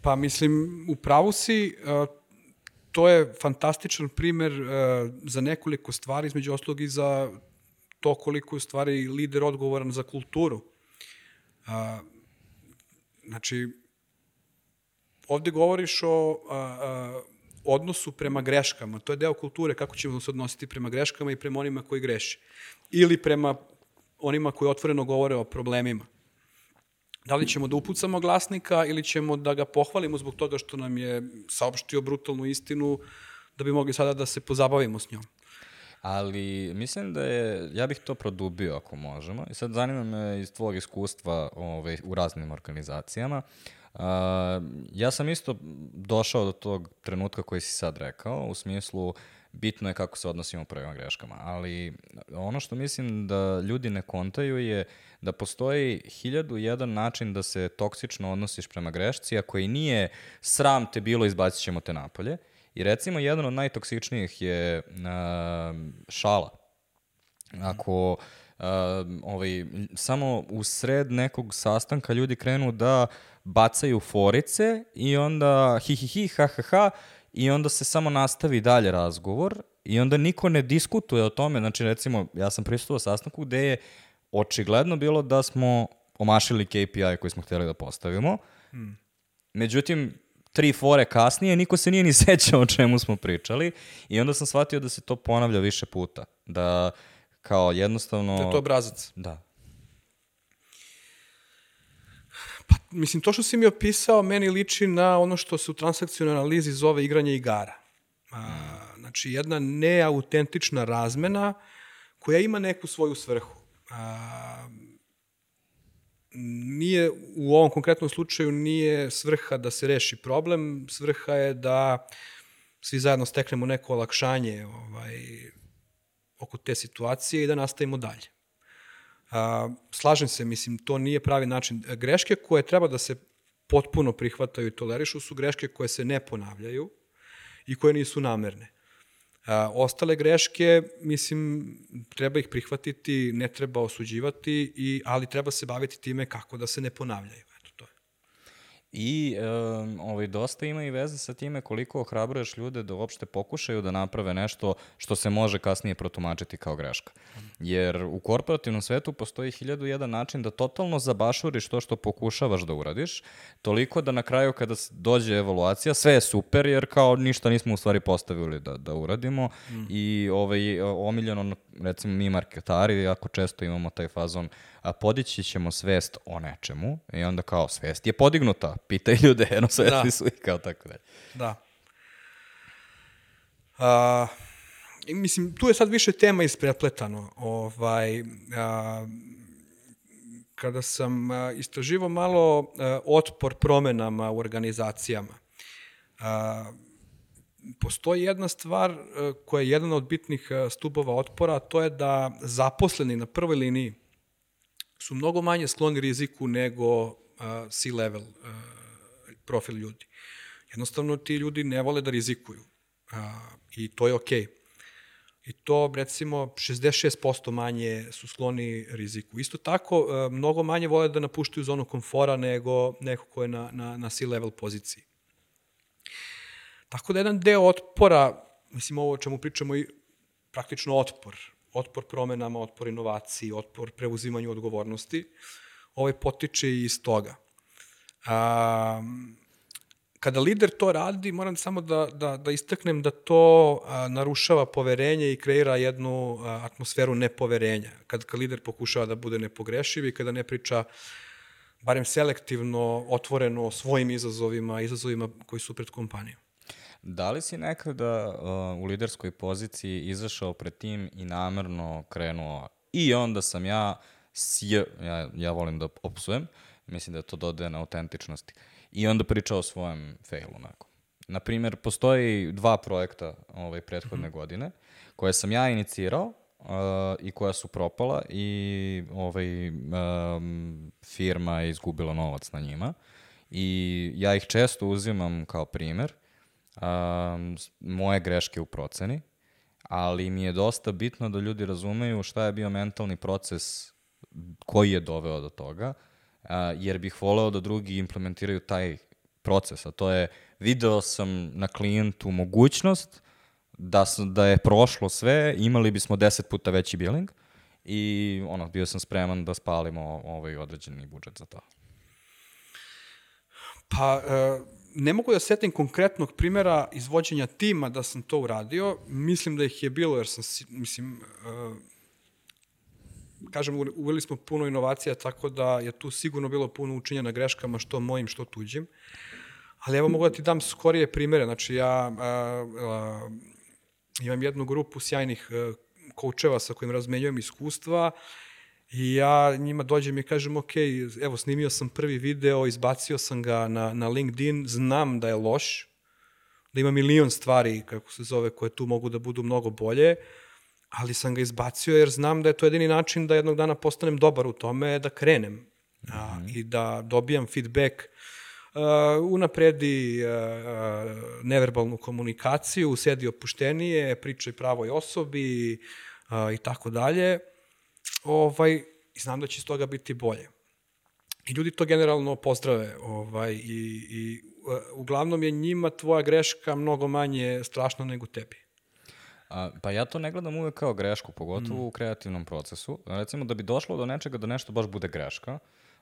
Pa mislim, u pravu si, uh, to je fantastičan primer uh, za nekoliko stvari, između ostalog i za to koliko je u stvari lider odgovoran za kulturu. Uh, znači, ovde govoriš o uh, uh, odnosu prema greškama. To je deo kulture, kako ćemo se odnositi prema greškama i prema onima koji greše. Ili prema onima koji otvoreno govore o problemima. Da li ćemo da upucamo glasnika ili ćemo da ga pohvalimo zbog toga što nam je saopštio brutalnu istinu da bi mogli sada da se pozabavimo s njom. Ali mislim da je, ja bih to produbio ako možemo. I sad zanima me iz tvojeg iskustva ovaj, u raznim organizacijama. Uh, ja sam isto došao do tog trenutka koji si sad rekao, u smislu bitno je kako se odnosimo prema greškama, ali ono što mislim da ljudi ne kontaju je da postoji hiljadu jedan način da se toksično odnosiš prema grešci, a koji nije sram te bilo, izbacit ćemo te napolje. I recimo jedan od najtoksičnijih je uh, šala. Ako uh, ovaj, samo u sred nekog sastanka ljudi krenu da bacaju forice i onda hi hi hi, ha ha ha, i onda se samo nastavi dalje razgovor i onda niko ne diskutuje o tome. Znači, recimo, ja sam prisustvovao sastanku gde je očigledno bilo da smo omašili K P I koji smo htjeli da postavimo. Hmm. Međutim, tri fore kasnije niko se nije ni sećao o čemu smo pričali i onda sam shvatio da se to ponavlja više puta. Da kao jednostavno... Da je to obrazac. Da. Pa, mislim, to što si mi opisao meni liči na ono što se u transakcionalnoj analizi zove igranje igara. A, znači, jedna neautentična razmena koja ima neku svoju svrhu. A, nije, u ovom konkretnom slučaju nije svrha da se reši problem, svrha je da svi zajedno steknemo neko olakšanje ovaj, oko te situacije i da nastavimo dalje. Uh, slažem se, mislim, to nije pravi način. Greške koje treba da se potpuno prihvataju i tolerišu su greške koje se ne ponavljaju i koje nisu namerne. Uh, ostale greške, mislim, treba ih prihvatiti, ne treba osuđivati, i, ali treba se baviti time kako da se ne ponavljaju. Eto, to je. I um, ovaj, dosta ima i veze sa time koliko ohrabruješ ljude da uopšte pokušaju da naprave nešto što se može kasnije protumačiti kao greška. Jer u korporativnom svetu postoji hiljadu jedan način da totalno zabašuriš to što pokušavaš da uradiš, toliko da na kraju kada dođe evaluacija, sve je super jer kao ništa nismo u stvari postavili da, da uradimo mm. i ovaj, omiljeno, recimo mi marketari, jako često imamo taj fazon, a podići ćemo svest o nečemu i onda kao svest je podignuta, pitaj ljude, jedno svesti da. Su i kao tako dalje. Da. A, mislim, tu je sad više tema isprepletano. Ovaj, a, kada sam a, istraživao malo a, otpor promenama u organizacijama, a, postoji jedna stvar a, koja je jedan od bitnih a, stubova otpora, a to je da zaposleni na prvoj liniji su mnogo manje skloni riziku nego uh, C-level uh, profil ljudi. Jednostavno, ti ljudi ne vole da rizikuju. Uh, I to je okej. Okay. I to, recimo, šezdeset šest posto manje su skloni riziku. Isto tako, uh, mnogo manje vole da napuštaju zonu komfora nego neko ko je na, na, na C-level poziciji. Tako da jedan deo otpora, mislim, ovo o čemu pričamo, i praktično otpor, otpor promenama, otpor inovaciji, otpor preuzimanju odgovornosti, ovaj potiče iz toga. A, kada lider to radi, moram samo da, da, da istaknem da to a, narušava poverenje i kreira jednu a, atmosferu nepoverenja. Kad, kad lider pokušava da bude nepogrešiv i kada ne priča barem selektivno, otvoreno o svojim izazovima, izazovima koji su pred kompanijom. Da li si nekada uh, u liderskoj poziciji izašao pred tim i namerno krenuo i onda sam ja, sj, ja, ja volim da opsujem, mislim da to dodaje na autentičnosti, i onda pričao o svojem failu. Naprimjer, postoji dva projekta ovaj, prethodne mm-hmm. godine koje sam ja inicirao uh, i koja su propala i ovaj, um, firma je izgubila novac na njima. I ja ih često uzimam kao primer, um, moje greške u proceni, ali mi je dosta bitno da ljudi razumeju šta je bio mentalni proces koji je doveo do toga, uh, jer bih voleo da drugi implementiraju taj proces, a to je video sam na klijentu mogućnost da, sam, da je prošlo sve, imali bismo deset puta veći billing i ono, bio sam spreman da spalimo ovaj određeni budžet za to. Pa, uh, ne mogu da setim konkretnog primjera izvođenja tima da sam to uradio. Mislim da ih je bilo, jer sam, mislim, uh, kažem, uveli smo puno inovacija, tako da je tu sigurno bilo puno učenja na greškama, što mojim, što tuđim. Ali evo mogu da ti dam skorije primjere. Znači, ja uh, uh, imam jednu grupu sjajnih uh, koučeva sa kojim razmenjujem iskustva i ja njima dođem i kažem, ok, evo, snimio sam prvi video, izbacio sam ga na, na LinkedIn, znam da je loš, da ima milion stvari, kako se zove, koje tu mogu da budu mnogo bolje, ali sam ga izbacio jer znam da je to jedini način da jednog dana postanem dobar u tome, da krenem mm-hmm. a, i da dobijam feedback, uh, unapredi uh, uh, neverbalnu komunikaciju, sedi opuštenije, pričaj pravoj osobi uh, i tako dalje. Ovaj, i znam da će iz toga biti bolje. I ljudi to generalno pozdrave. Ovaj, i, i uh, uglavnom je njima tvoja greška mnogo manje strašna nego tebi. A, pa ja to ne gledam uvek kao grešku, pogotovo mm. u kreativnom procesu. Recimo, da bi došlo do nečega da nešto baš bude greška,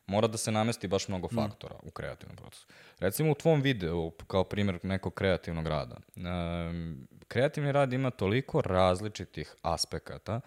mora da se namesti baš mnogo faktora mm. u kreativnom procesu. Recimo, u tvom videu, kao primjer nekog kreativnog rada, um, kreativni rad ima toliko različitih aspekata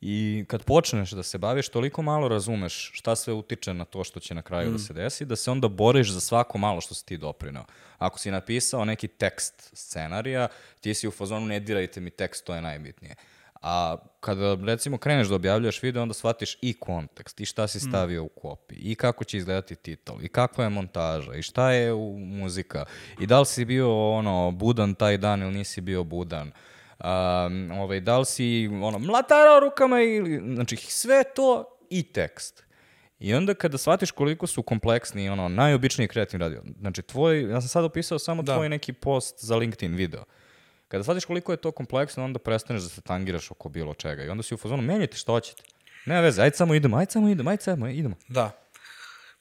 i kad počneš da se baviš, toliko malo razumeš šta sve utiče na to što će na kraju mm. da se desi, da se onda boriš za svako malo što si ti doprinao. Ako si napisao neki tekst scenarija, ti si u fazonu ne dirajte mi tekst, to je najbitnije. A kada, recimo, kreneš da objavljaš video, onda shvatiš i kontekst, i šta si stavio mm. u kopiji, i kako će izgledati titl, i kakva je montaža, i šta je u muzika, i da li si bio ono, budan taj dan ili nisi bio budan. Um, ovaj, da li si ono, mlatarao rukama ili, znači sve to i tekst. I onda kada shvatiš koliko su kompleksni, ono, najobičniji kreativni radio, znači tvoj, ja sam sad opisao samo da. tvoj neki post za LinkedIn video. Kada shvatiš koliko je to kompleksno, onda prestaneš da se tangiraš oko bilo čega i onda si u fazonu, menjajte što hoćete. Nema veze, ajde samo idemo, ajde samo idemo, ajde samo idemo. Da.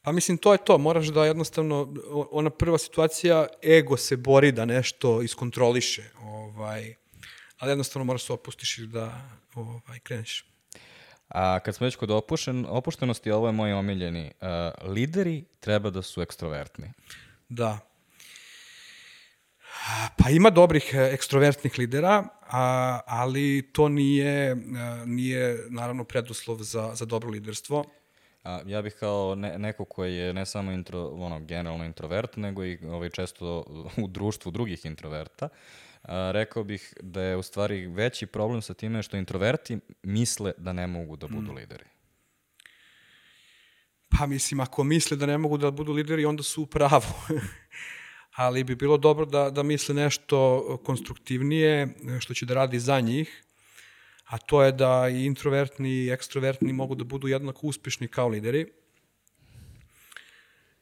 Pa mislim, to je to. Moraš da jednostavno, ona prva situacija, ego se bori da nešto iskontroliše. Ovaj, ali jednostavno moraš se opustiš i da ovaj, kreneš. A kad smo već kod opušten, opuštenosti, ovo je moj omiljeni. Uh, lideri treba da su ekstrovertni. Da. Pa ima dobrih ekstrovertnih lidera, a, ali to nije, nije naravno preduslov za, za dobro liderstvo. A, ja bih kao ne, neko koji je ne samo intro, ono, generalno introvert, nego i ovaj, često u društvu drugih introverta, a, rekao bih da je u stvari veći problem sa time što introverti misle da ne mogu da budu mm. lideri. Pa mislim, ako misle da ne mogu da budu lideri, onda su u pravu. Ali bi bilo dobro da, da misle nešto konstruktivnije, što će da radi za njih, a to je da i introvertni i ekstrovertni mogu da budu jednako uspešni kao lideri.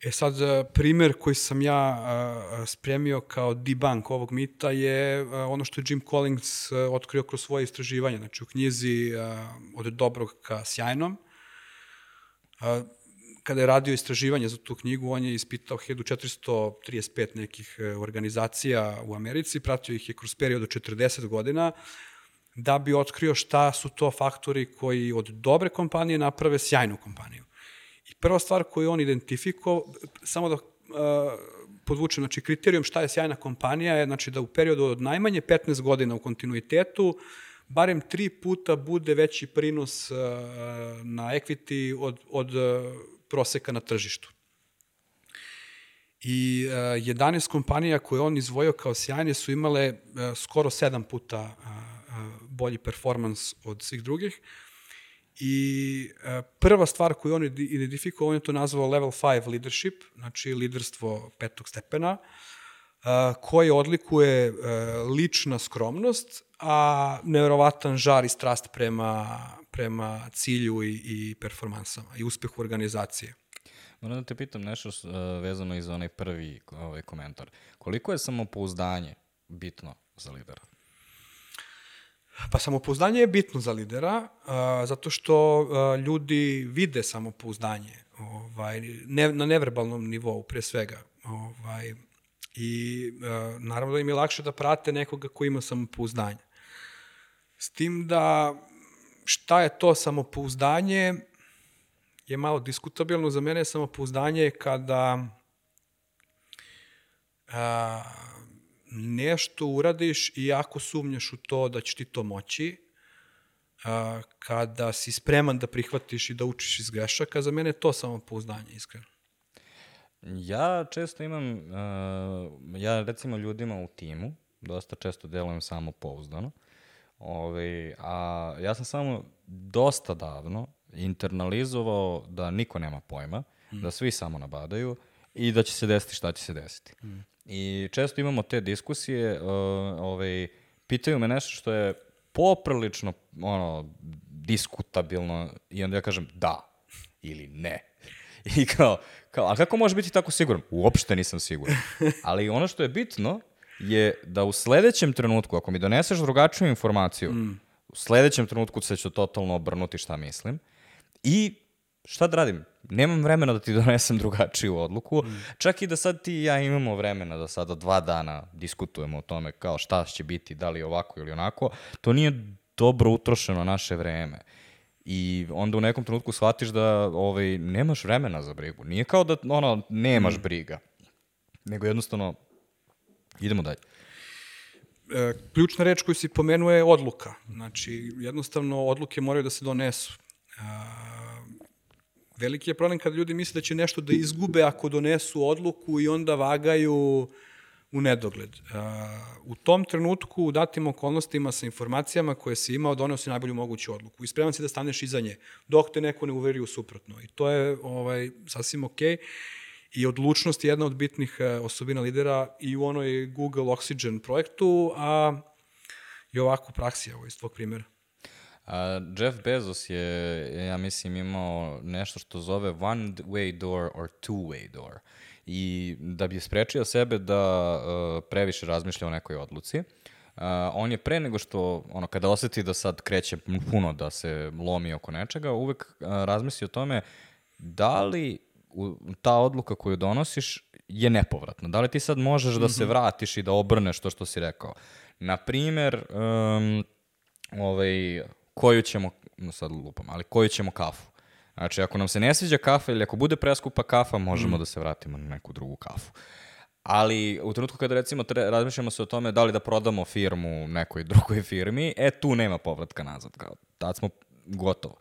E sad, primer koji sam ja spremio kao debunk ovog mita je ono što je Jim Collins otkrio kroz svoje istraživanje, znači u knjizi Od dobrog ka sjajnom. Kada je radio istraživanje za tu knjigu, on je ispitao hiljadu četiristo trideset pet nekih organizacija u Americi, pratio ih je kroz period od četrdeset godina, da bi otkrio šta su to faktori koji od dobre kompanije naprave sjajnu kompaniju. I prva stvar koju on identifikovao, samo da uh, podvučem, znači kriterijum šta je sjajna kompanija je znači da u periodu od najmanje petnaest godina u kontinuitetu barem tri puta bude veći prinos uh, na equity od, od uh, proseka na tržištu. I uh, jedanaest kompanija koje on izvojio kao sjajne su imale uh, skoro sedam puta uh, uh, bolji performans od svih drugih. I uh, prva stvar koju on identifikovao, on je to nazvao level five leadership, znači liderstvo petog stepena, uh, koje odlikuje uh, lična skromnost, a nevjerovatan žar i strast prema, prema cilju i, i performansama i uspehu organizacije. Moram da te pitam nešto uh, vezano i za onaj prvi ovaj, komentar. Koliko je samopouzdanje bitno za lidera? Pa samopouzdanje je bitno za lidera, a, zato što a, ljudi vide samopouzdanje ovaj, ne, na neverbalnom nivou, pre svega. Ovaj, I a, naravno da im je lakše da prate nekoga ko ima samopouzdanje. S tim da šta je to samopouzdanje je malo diskutabilno. Za mene je samopouzdanje kada a, nešto uradiš i jako sumnjaš u to da ćeš ti to moći, a, kada si spreman da prihvatiš i da učiš iz grešaka, za mene je to samopouzdanje, iskreno. Ja često imam, uh, ja recimo ljudima u timu, dosta često delujem samopouzdano, Ove, a ja sam samo dosta davno internalizovao da niko nema pojma, mm. da svi samo nabadaju i da će se desiti šta će se desiti. Mm. I često imamo te diskusije, uh, ove, pitaju me nešto što je poprilično ono, diskutabilno i onda ja kažem da ili ne. I kao, kao, a kako može biti tako siguran? Uopšte nisam siguran. Ali ono što je bitno je da u sledećem trenutku, ako mi doneseš drugačiju informaciju, mm. u sledećem trenutku se ću totalno obrnuti šta mislim. I šta da radim? Nemam vremena da ti donesem drugačiju odluku. Mm. Čak i da sad ti i ja imamo vremena da sada dva dana diskutujemo o tome kao šta će biti, da li ovako ili onako. To nije dobro utrošeno naše vreme. I onda u nekom trenutku shvatiš da ovaj, nemaš vremena za brigu. Nije kao da ono, nemaš mm. briga. Nego jednostavno idemo dalje. E, ključna reč koju si pomenuo je odluka. Znači, jednostavno, odluke moraju da se donesu. E, veliki je problem kada ljudi misle da će nešto da izgube ako donesu odluku i onda vagaju u nedogled. E, u tom trenutku, u datim okolnostima sa informacijama koje si imao, doneo si najbolju moguću odluku. I spreman si da staneš iza nje, dok te neko ne uveri u suprotno. I to je ovaj, sasvim okej. I odlučnost je jedna od bitnih osobina lidera i u onoj Google Oxygen projektu, a i ovako u praksi, evo, iz tvog primjera. A, Jeff Bezos je, ja mislim, imao nešto što zove one way door or two way door. I da bi sprečio sebe da uh, previše razmišlja o nekoj odluci, uh, on je pre nego što, ono, kada osjeti da sad kreće puno da se lomi oko nečega, uvek uh, razmisli o tome da li ta odluka koju donosiš je nepovratna. Da li ti sad možeš da se vratiš i da obrneš to što si rekao? Naprimer, um, ovaj, koju ćemo, sad lupam, ali koju ćemo kafu? Znači, ako nam se ne sviđa kafa ili ako bude preskupa kafa, možemo mm. da se vratimo na neku drugu kafu. Ali u trenutku kada recimo tre, razmišljamo se o tome da li da prodamo firmu nekoj drugoj firmi, e tu nema povratka nazad. Kao, tad smo gotovo.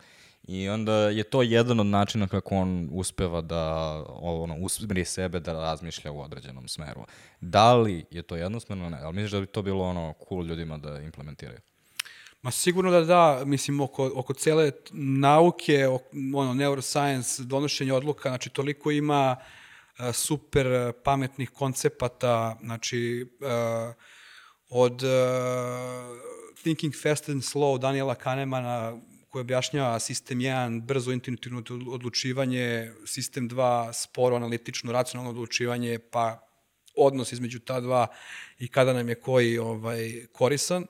I onda je to jedan od načina kako on uspeva da ono, usmeri sebe da razmišlja u određenom smeru. Da li je to jednostavno? Ne. Ali misliš da bi to bilo ono cool ljudima da implementiraju? Ma sigurno da da, mislim, oko, oko cele nauke, ono, neuroscience, donošenje odluka, znači toliko ima uh, super pametnih koncepata, znači uh, od uh, Thinking Fast and Slow Daniela Kahnemana, koji objašnjava sistem jedan, brzo intuitivno odlučivanje, sistem dva, sporo, analitično, racionalno odlučivanje, pa odnos između ta dva i kada nam je koji ovaj, korisan.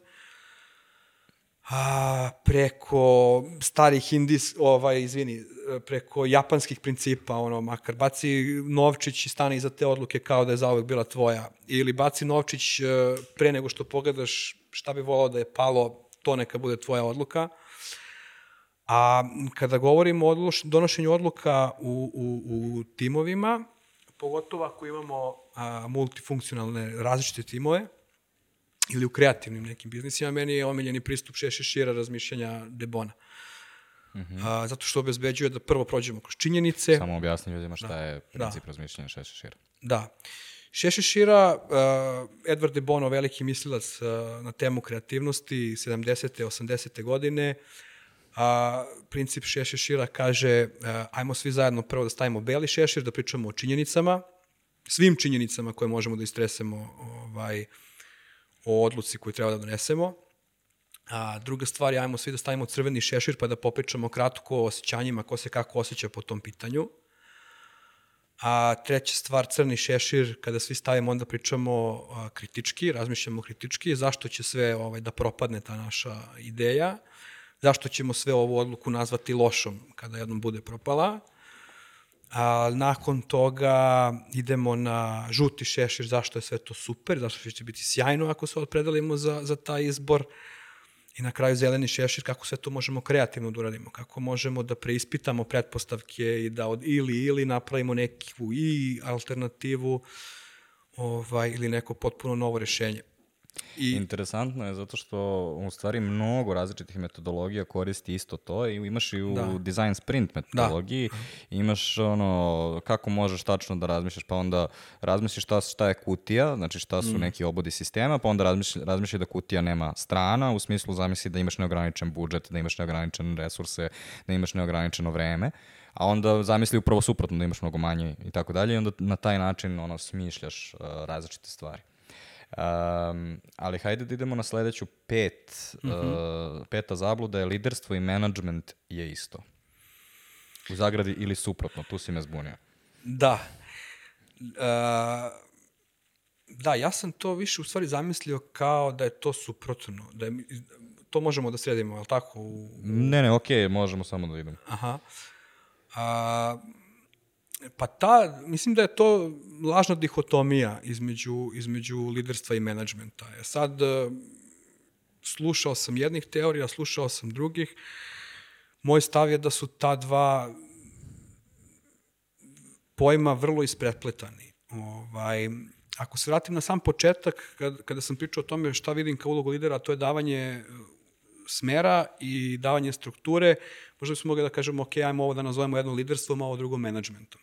A, preko starih indis, ovaj, izvini, preko japanskih principa, ono, makar baci novčić i stane iza te odluke kao da je zauvek bila tvoja. Ili baci novčić pre nego što pogledaš šta bi volao da je palo, to neka bude tvoja odluka. A kada govorimo o donošenju odluka u, u, u timovima, pogotovo ako imamo a, multifunkcionalne različite timove, ili u kreativnim nekim biznisima, meni je omiljeni pristup šest šešira razmišljanja Debona. Mm-hmm. A, zato što obezbeđuje da prvo prođemo kroz činjenice. Samo objasni ljudima šta da, je princip da. razmišljanja šest šešira. Da. Šest šešira, uh, Edward de Bono, veliki mislilac uh, na temu kreativnosti, sedamdesete, osamdesete godine, a princip šest šešira kaže uh, ajmo svi zajedno prvo da stavimo beli šešir, da pričamo o činjenicama, svim činjenicama koje možemo da istresemo ovaj, o odluci koju treba da donesemo. A druga stvar je ajmo svi da stavimo crveni šešir pa da popričamo kratko o osjećanjima, ko se kako osjeća po tom pitanju. A treća stvar, crni šešir, kada svi stavimo, onda pričamo a, kritički, razmišljamo kritički, zašto će sve ovaj, da propadne ta naša ideja, zašto ćemo sve ovu odluku nazvati lošom kada jednom bude propala. A nakon toga idemo na žuti šešir, zašto je sve to super, zašto će biti sjajno ako se opredelimo za, za taj izbor. I na kraju zeleni šešir, kako sve to možemo kreativno da uradimo, kako možemo da preispitamo pretpostavke i da od ili ili napravimo neku i alternativu ovaj, ili neko potpuno novo rešenje. I interesantno je zato što u stvari mnogo različitih metodologija koristi isto to i imaš i u da. design sprint metodologiji, da. imaš ono kako možeš tačno da razmišljaš, pa onda razmisliš šta, šta je kutija, znači šta su mm. neki obodi sistema, pa onda razmišljaš, razmišljaš da kutija nema strana, u smislu zamisli da imaš neograničen budžet, da imaš neograničene resurse, da imaš neograničeno vreme, a onda zamisli upravo suprotno da imaš mnogo manje i tako dalje i onda na taj način ono smišljaš uh, različite stvari. Um, ali hajde da idemo na sledeću pet. Mm-hmm. Uh, peta zabluda je liderstvo i menadžment je isto. U zagradi ili suprotno, tu si me zbunio. Da. Uh, da, ja sam to više u stvari zamislio kao da je to suprotno. Da je, to možemo da sredimo, je li tako? U... Ne, ne, okej, okay, možemo samo da idemo. Aha. Uh, Pa ta, mislim da je to lažna dihotomija između, između liderstva i menadžmenta. Ja sad slušao sam jednih teorija, slušao sam drugih. Moj stav je da su ta dva pojma vrlo isprepletani. Ovaj, ako se vratim na sam početak, kad, kada sam pričao o tome šta vidim kao ulogu lidera, to je davanje smera i davanje strukture, možda bismo mogli da kažemo, ok, ajmo ovo da nazovemo jedno liderstvom, a ovo drugo menadžmentom.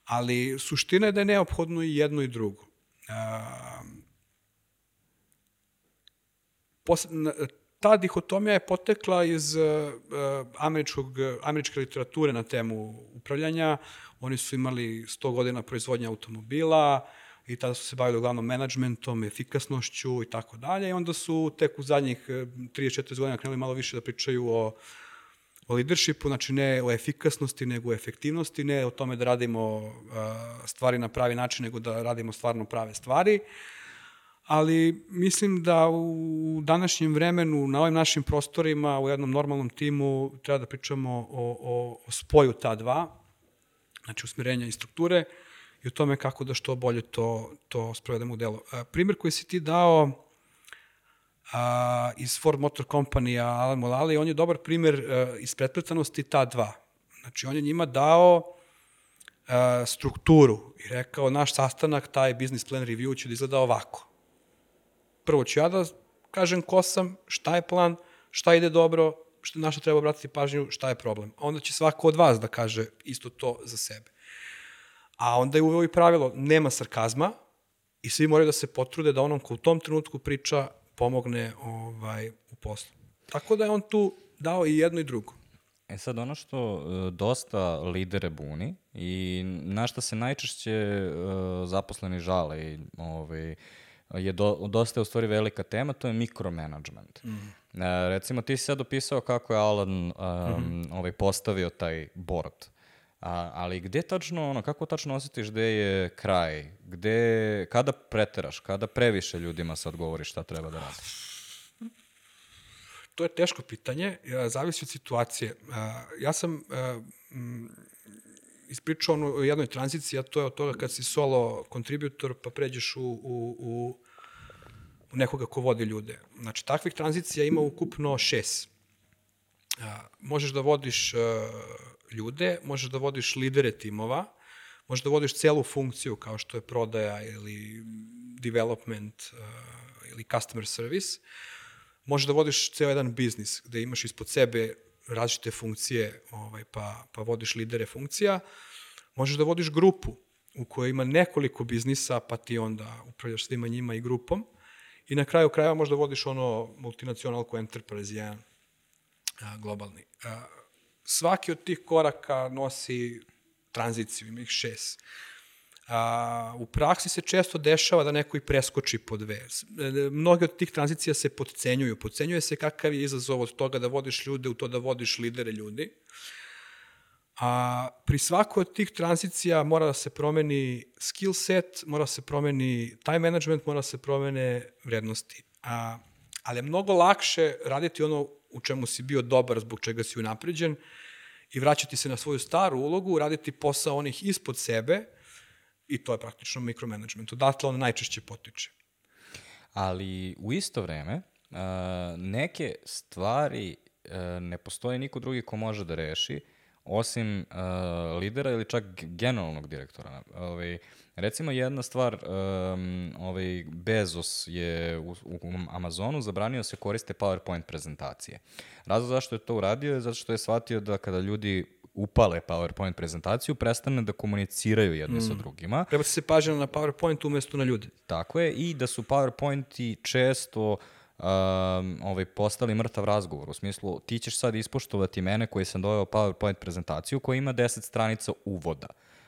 Ali suština je da je neophodno i jedno i drugo. Ta dihotomija je potekla iz američkog, američke literature na temu upravljanja. Oni su imali sto godina proizvodnja automobila i tada su se bavili uglavnom menadžmentom, efikasnošću i tako dalje. I onda su tek u zadnjih trideset četrdeset godina krenuli malo više da pričaju o, o leadershipu, znači ne o efikasnosti, nego o efektivnosti, ne o tome da radimo uh, stvari na pravi način, nego da radimo stvarno prave stvari. Ali mislim da u današnjem vremenu, na ovim našim prostorima, u jednom normalnom timu, treba da pričamo o, o, o spoju ta dva, znači usmjerenja i strukture, i o tome kako da što bolje to, to sprovedemo u delo. A, primjer koji si ti dao a, iz Ford Motor Company-a, Alan Mulally, on je dobar primjer a, iz pretpletanosti ta dva. Znači, on je njima dao a, strukturu i rekao, naš sastanak, taj business plan review će da izgleda ovako. Prvo ću ja da kažem ko sam, šta je plan, šta ide dobro, šta, na što treba obratiti pažnju, šta je problem. A onda će svako od vas da kaže isto to za sebe. A onda je uveo i pravilo, nema sarkazma i svi moraju da se potrude da onom ko u tom trenutku priča pomogne ovaj, u poslu. Tako da je on tu dao i jedno i drugo. E sad, ono što uh, dosta lidere buni i na šta se najčešće uh, zaposleni žale i ovaj, je do, dosta je u stvari velika tema, to je mikromanagement. Mm. Uh, recimo, ti si sad opisao kako je Alan um, mm-hmm. ovaj, postavio taj board. A, ali gde tačno, ono, kako tačno osjetiš gde je kraj? Gde, kada preteraš, kada previše ljudima sad govoriš šta treba da radi? To je teško pitanje, zavisi od situacije. Ja sam ispričao o jednoj tranziciji, a to je od toga kad si solo kontributor pa pređeš u, u, u, u nekoga ko vodi ljude. Znači, takvih tranzicija ima ukupno šest. Možeš da vodiš ljude, možeš da vodiš lidere timova, možeš da vodiš celu funkciju kao što je prodaja ili development uh, ili customer service, možeš da vodiš ceo jedan biznis gde imaš ispod sebe različite funkcije ovaj, pa, pa vodiš lidere funkcija, možeš da vodiš grupu u kojoj ima nekoliko biznisa pa ti onda upravljaš svima njima i grupom i na kraju krajeva možda vodiš ono multinacionalku enterprise, jedan a, globalni. A, Svaki od tih koraka nosi tranziciju, ima ih šest. A, u praksi se često dešava da neko i preskoči po dve. Mnoge od tih tranzicija se podcenjuju. Podcenjuje se kakav je izazov od toga da vodiš ljude u to da vodiš lidere ljudi. A pri svakoj od tih tranzicija mora da se promeni skill set, mora da se promeni time management, mora da se promene vrednosti. A, ali je mnogo lakše raditi ono u čemu si bio dobar, zbog čega si unapređen i vraćati se na svoju staru ulogu, raditi posao onih ispod sebe i to je praktično mikromanagement. Odatle on najčešće potiče. Ali u isto vreme, uh, neke stvari uh, ne postoji niko drugi ko može da reši, osim uh, lidera ili čak generalnog direktora. Ovaj, recimo jedna stvar, um, ovaj Bezos je u, u Amazonu zabranio se koriste PowerPoint prezentacije. Razlog zašto je to uradio je zato što je shvatio da kada ljudi upale PowerPoint prezentaciju, prestane da komuniciraju jedni mm. sa drugima. Prebaci se pažnja na PowerPoint umesto na ljude. Tako je, i da su PowerPointi često Um, ovaj, postali mrtav razgovor, u smislu ti ćeš sad ispoštovati mene koji sam doveo PowerPoint prezentaciju koja ima deset stranica uvoda,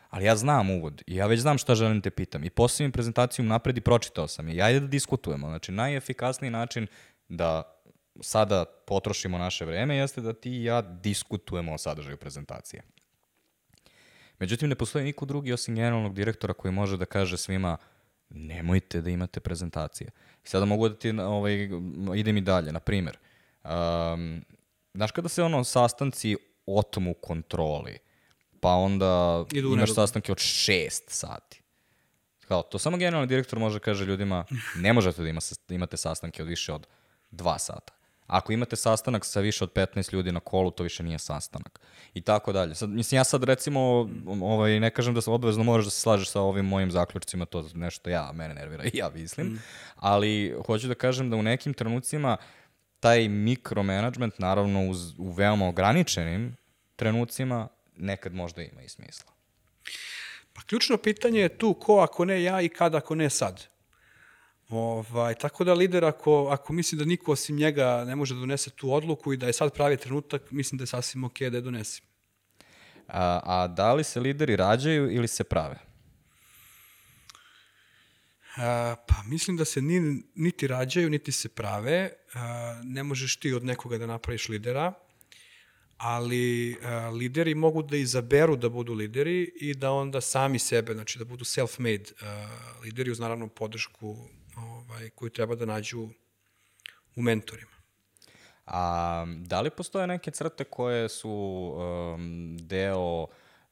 ali ja znam uvod i ja već znam šta želim te pitam i postavim prezentaciju napred i pročitao sam je i ajde da diskutujemo. Znači najefikasniji način da sada potrošimo naše vreme jeste da ti i ja diskutujemo o sadržaju prezentacije. Međutim, ne postoji niko drugi osim generalnog direktora koji može da kaže svima nemojte da imate prezentacije. I sada mogu da ti, ovaj, idem i dalje, na primjer. Um, znaš kada se ono sastanci otmu kontroli, pa onda Idu imaš sastanke od šest sati. Kao, to samo generalni direktor može kaže ljudima, ne možete da ima, imate sastanke od više od dva sata. Ako imate sastanak sa više od petnaest ljudi na kolu, to više nije sastanak. I tako dalje. Sad, mislim, ja sad recimo, ovaj, ne kažem da se obavezno moraš da se slažeš sa ovim mojim zaključcima, to nešto ja, mene nervira i ja mislim, mm. ali hoću da kažem da u nekim trenucima taj mikromanagement, naravno uz, u veoma ograničenim trenucima, nekad možda ima i smisla. Pa ključno pitanje je tu ko ako ne ja i kada ako ne sad. Ovaj, tako da lider ako, ako misli da niko osim njega ne može da donese tu odluku i da je sad pravi trenutak, mislim da je sasvim ok da je donese. A, a da li se lideri rađaju ili se prave? A, pa mislim da se ni, niti rađaju, niti se prave. A, ne možeš ti od nekoga da napraviš lidera, ali a, lideri mogu da izaberu da budu lideri i da onda sami sebe, znači da budu self-made a, lideri uz naravno podršku ovaj, koju treba da nađu u mentorima. A da li postoje neke crte koje su um, deo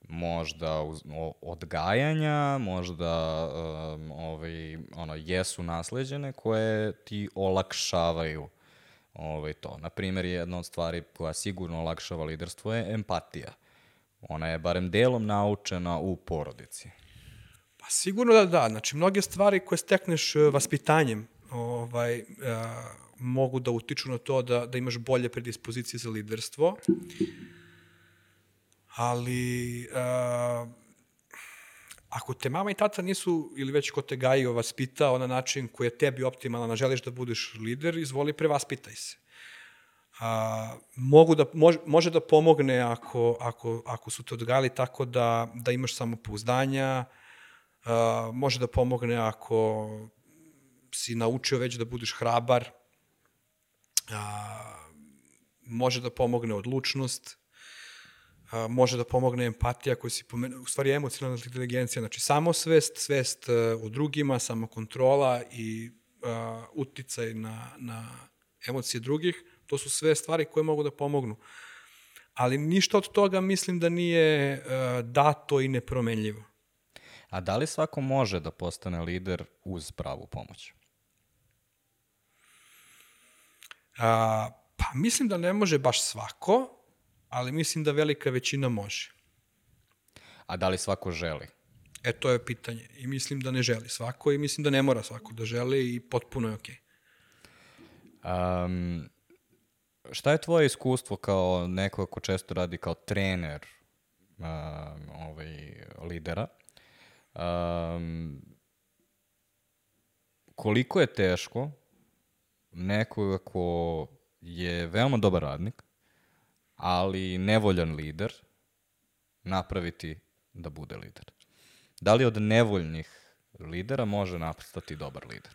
možda uz, o, odgajanja, možda um, ovaj, ono, jesu nasleđene, koje ti olakšavaju ovaj, to? Naprimjer, jedna od stvari koja sigurno olakšava liderstvo je empatija. Ona je barem delom naučena u porodici. Pa sigurno da da. Znači, mnoge stvari koje stekneš vaspitanjem ovaj, a, mogu da utiču na to da, da imaš bolje predispozicije za liderstvo. Ali a, ako te mama i tata nisu, ili već ko te gajio, vaspitao na način koji je tebi optimalan, a želiš da budeš lider, izvoli, prevaspitaj se. A, mogu da, može, može da pomogne ako, ako, ako su te odgajali tako da, da imaš samopouzdanja, Uh, može da pomogne ako si naučio već da budeš hrabar, uh, može da pomogne odlučnost, uh, može da pomogne empatija koju si pomenuo, u stvari emocionalna inteligencija, znači samosvest, svest uh, o drugima, samokontrola i uh, uticaj na, na emocije drugih, to su sve stvari koje mogu da pomognu. Ali ništa od toga mislim da nije uh, dato i nepromenljivo. A da li svako može da postane lider uz pravu pomoć? A, pa mislim da ne može baš svako, ali mislim da velika većina može. A da li svako želi? E, to je pitanje. I mislim da ne želi svako i mislim da ne mora svako da želi i potpuno je okej. Um, šta je tvoje iskustvo kao neko ko često radi kao trener um, ovaj, lidera? Um, koliko je teško nekoga ko je veoma dobar radnik, ali nevoljan lider, napraviti da bude lider? Da li od nevoljnih lidera može nastati dobar lider?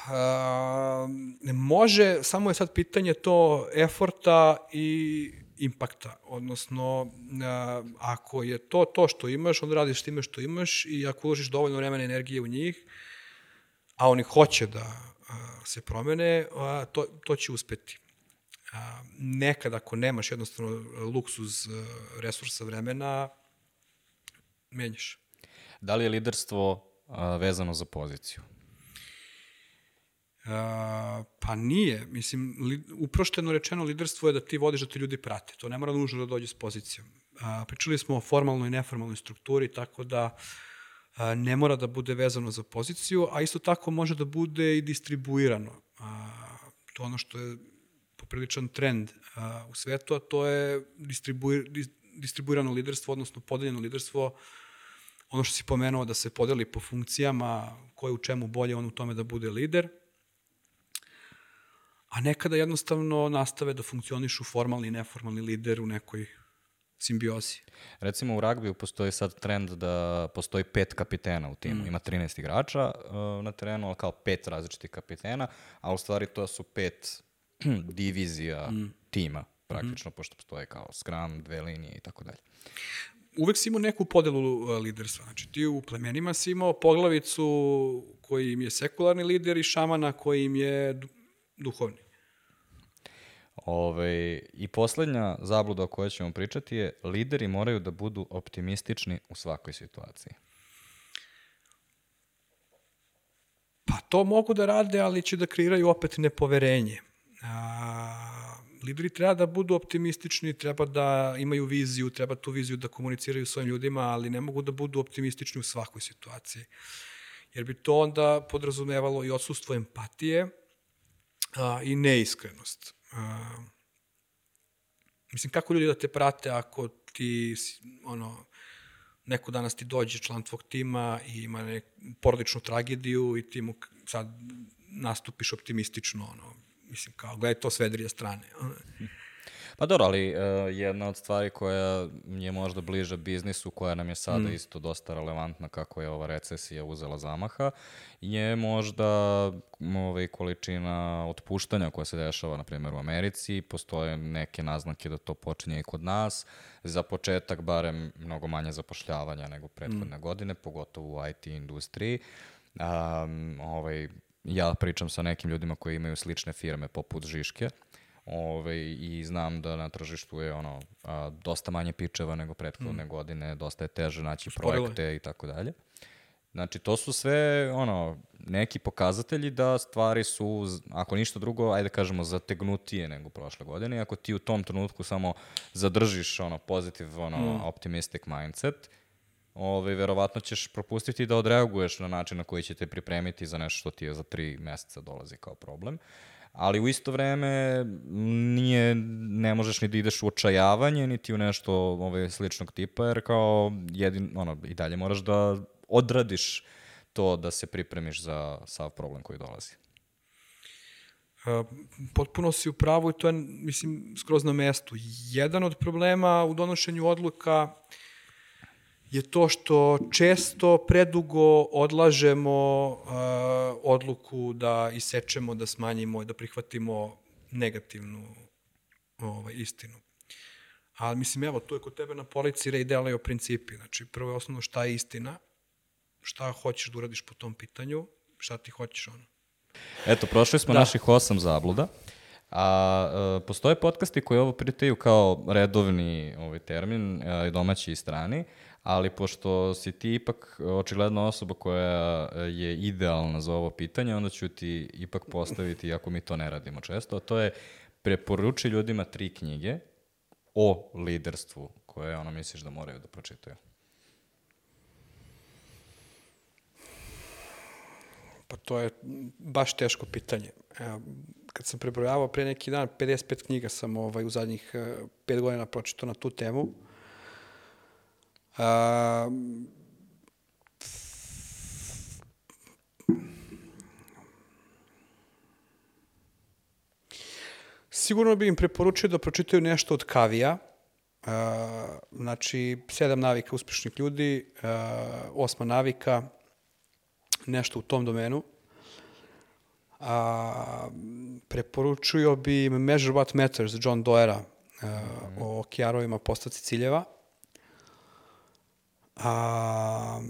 Uh, može, samo je sad pitanje to eforta i impakta, odnosno a, ako je to to što imaš, onda radiš time što imaš i ako uložiš dovoljno vremena i energije u njih, a oni hoće da a, se promene, a, to, to će uspeti. A, nekad ako nemaš jednostavno luksuz a, resursa vremena, menjaš. Da li je liderstvo a, vezano za poziciju? Uh, pa nije. Mislim, li, uprošteno rečeno liderstvo je da ti vodiš da te ljudi prate. To ne mora nužno da dođe s pozicijom. Uh, pričali smo o formalnoj i neformalnoj strukturi, tako da uh, ne mora da bude vezano za poziciju, a isto tako može da bude i distribuirano. Uh, to ono što je popriličan trend uh, u svetu, a to je distribuir, dis, distribuirano liderstvo, odnosno podeljeno liderstvo. Ono što si pomenuo da se podeli po funkcijama, ko je u čemu bolje, on u tome da bude lider, a nekada jednostavno nastave da funkcionišu formalni i neformalni lider u nekoj simbiozi. Recimo u ragbiju postoji sad trend da postoji pet kapitena u timu. Mm. Ima trinaest igrača uh, na terenu, ali kao pet različitih kapitena, a u stvari to su pet divizija mm. tima, praktično, mm. pošto postoje kao scrum, dve linije i tako dalje. Uvek si imao neku podelu uh, liderstva. Znači ti u plemenima si imao poglavicu koji im je sekularni lider i šamana koji im je duhovni. Ove, I poslednja zabluda o kojoj ćemo pričati je lideri moraju da budu optimistični u svakoj situaciji. Pa to mogu da rade, ali će da kreiraju opet nepoverenje. A, lideri treba da budu optimistični, treba da imaju viziju, treba tu viziju da komuniciraju svojim ljudima, ali ne mogu da budu optimistični u svakoj situaciji. Jer bi to onda podrazumevalo i odsustvo empatije, a, i neiskrenost. A, mislim, kako ljudi da te prate ako ti, ono, neko danas ti dođe član tvog tima i ima neku porodičnu tragediju i ti mu sad nastupiš optimistično, ono, mislim, kao, gledaj to s vedrije strane. Pa dobro, ali uh, jedna od stvari koja je možda bliža biznisu, koja nam je sada mm. isto dosta relevantna kako je ova recesija uzela zamaha, je možda ovaj, količina otpuštanja koja se dešava, na primjer, u Americi. Postoje neke naznake da to počinje i kod nas. Za početak, barem, mnogo manje zapošljavanja nego prethodne mm. godine, pogotovo u I T industriji. Um, ovaj, ja pričam sa nekim ljudima koji imaju slične firme poput Žiške, Ove, i znam da na tržištu je ono a, dosta manje pičeva nego prethodne mm. godine, dosta je teže naći Sporilo. projekte i tako dalje. Znači, to su sve ono neki pokazatelji da stvari su, ako ništa drugo, ajde kažemo, zategnutije nego prošle godine. Ako ti u tom trenutku samo zadržiš ono pozitiv, ono mm. optimistic mindset, Ove, verovatno ćeš propustiti da odreaguješ na način na koji će te pripremiti za nešto što ti je za tri meseca dolazi kao problem. Ali u isto vreme nije, ne možeš ni da ideš u očajavanje, niti u nešto ove, sličnog tipa, jer kao jedin, ono, i dalje moraš da odradiš to da se pripremiš za sav problem koji dolazi. Uh, potpuno si u pravu i to je, mislim, skroz na mestu. Jedan od problema u donošenju odluka je to što često predugo odlažemo uh, odluku da isečemo, da smanjimo i da prihvatimo negativnu ovaj, istinu. Ali mislim, evo, tu je kod tebe na polici Ray Dalio principi. Znači, prvo je osnovno šta je istina, šta hoćeš da uradiš po tom pitanju, šta ti hoćeš ono. Eto, prošli smo da. naših osam zabluda. A e, postoje podcasti koji ovo pritaju kao redovni ovaj termin, e, domaći i strani, ali pošto si ti ipak očigledno osoba koja je idealna za ovo pitanje, onda ću ti ipak postaviti, ako mi to ne radimo često, a to je preporuči ljudima tri knjige o liderstvu koje ono misliš da moraju da pročitaju. Pa to je baš teško pitanje. Evo, kad sam prebrojavao pre neki dan, pedeset pet knjiga sam ovaj, u zadnjih pet godina pročitao na tu temu. A, sigurno bih im preporučio da pročitaju nešto od Coveyja, a, znači sedam navika uspešnih ljudi, a, osma navika, nešto u tom domenu. A, preporučio bi im Measure What Matters, John Doerra. o K R-ovima, postavci ciljeva. A,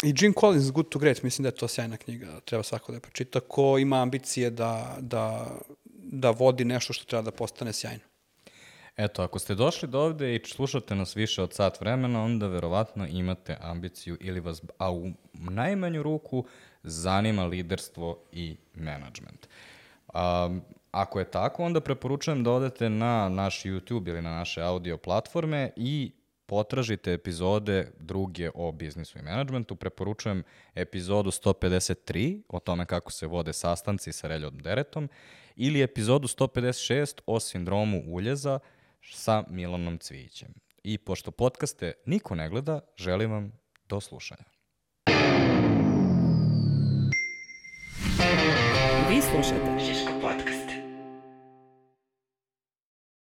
I Jim Collins, Good to Great, mislim da je to sjajna knjiga, treba svako da je pročita, ko ima ambicije da, da, da vodi nešto što treba da postane sjajno. Eto, ako ste došli do ovde i slušate nas više od sat vremena, onda verovatno imate ambiciju ili vas, a u najmanju ruku, zanima liderstvo i menadžment. Um, ako je tako, onda preporučujem da odete na naš YouTube ili na naše audio platforme i potražite epizode druge o biznisu i menadžmentu. Preporučujem epizodu sto pedeset tri o tome kako se vode sastanci sa Reljom Deretom ili epizodu sto pedeset šest o sindromu uljeza sa Milanom Cvijićem. I pošto podcaste niko ne gleda, želim vam do slušanja. Vi slušate Žiško podcast.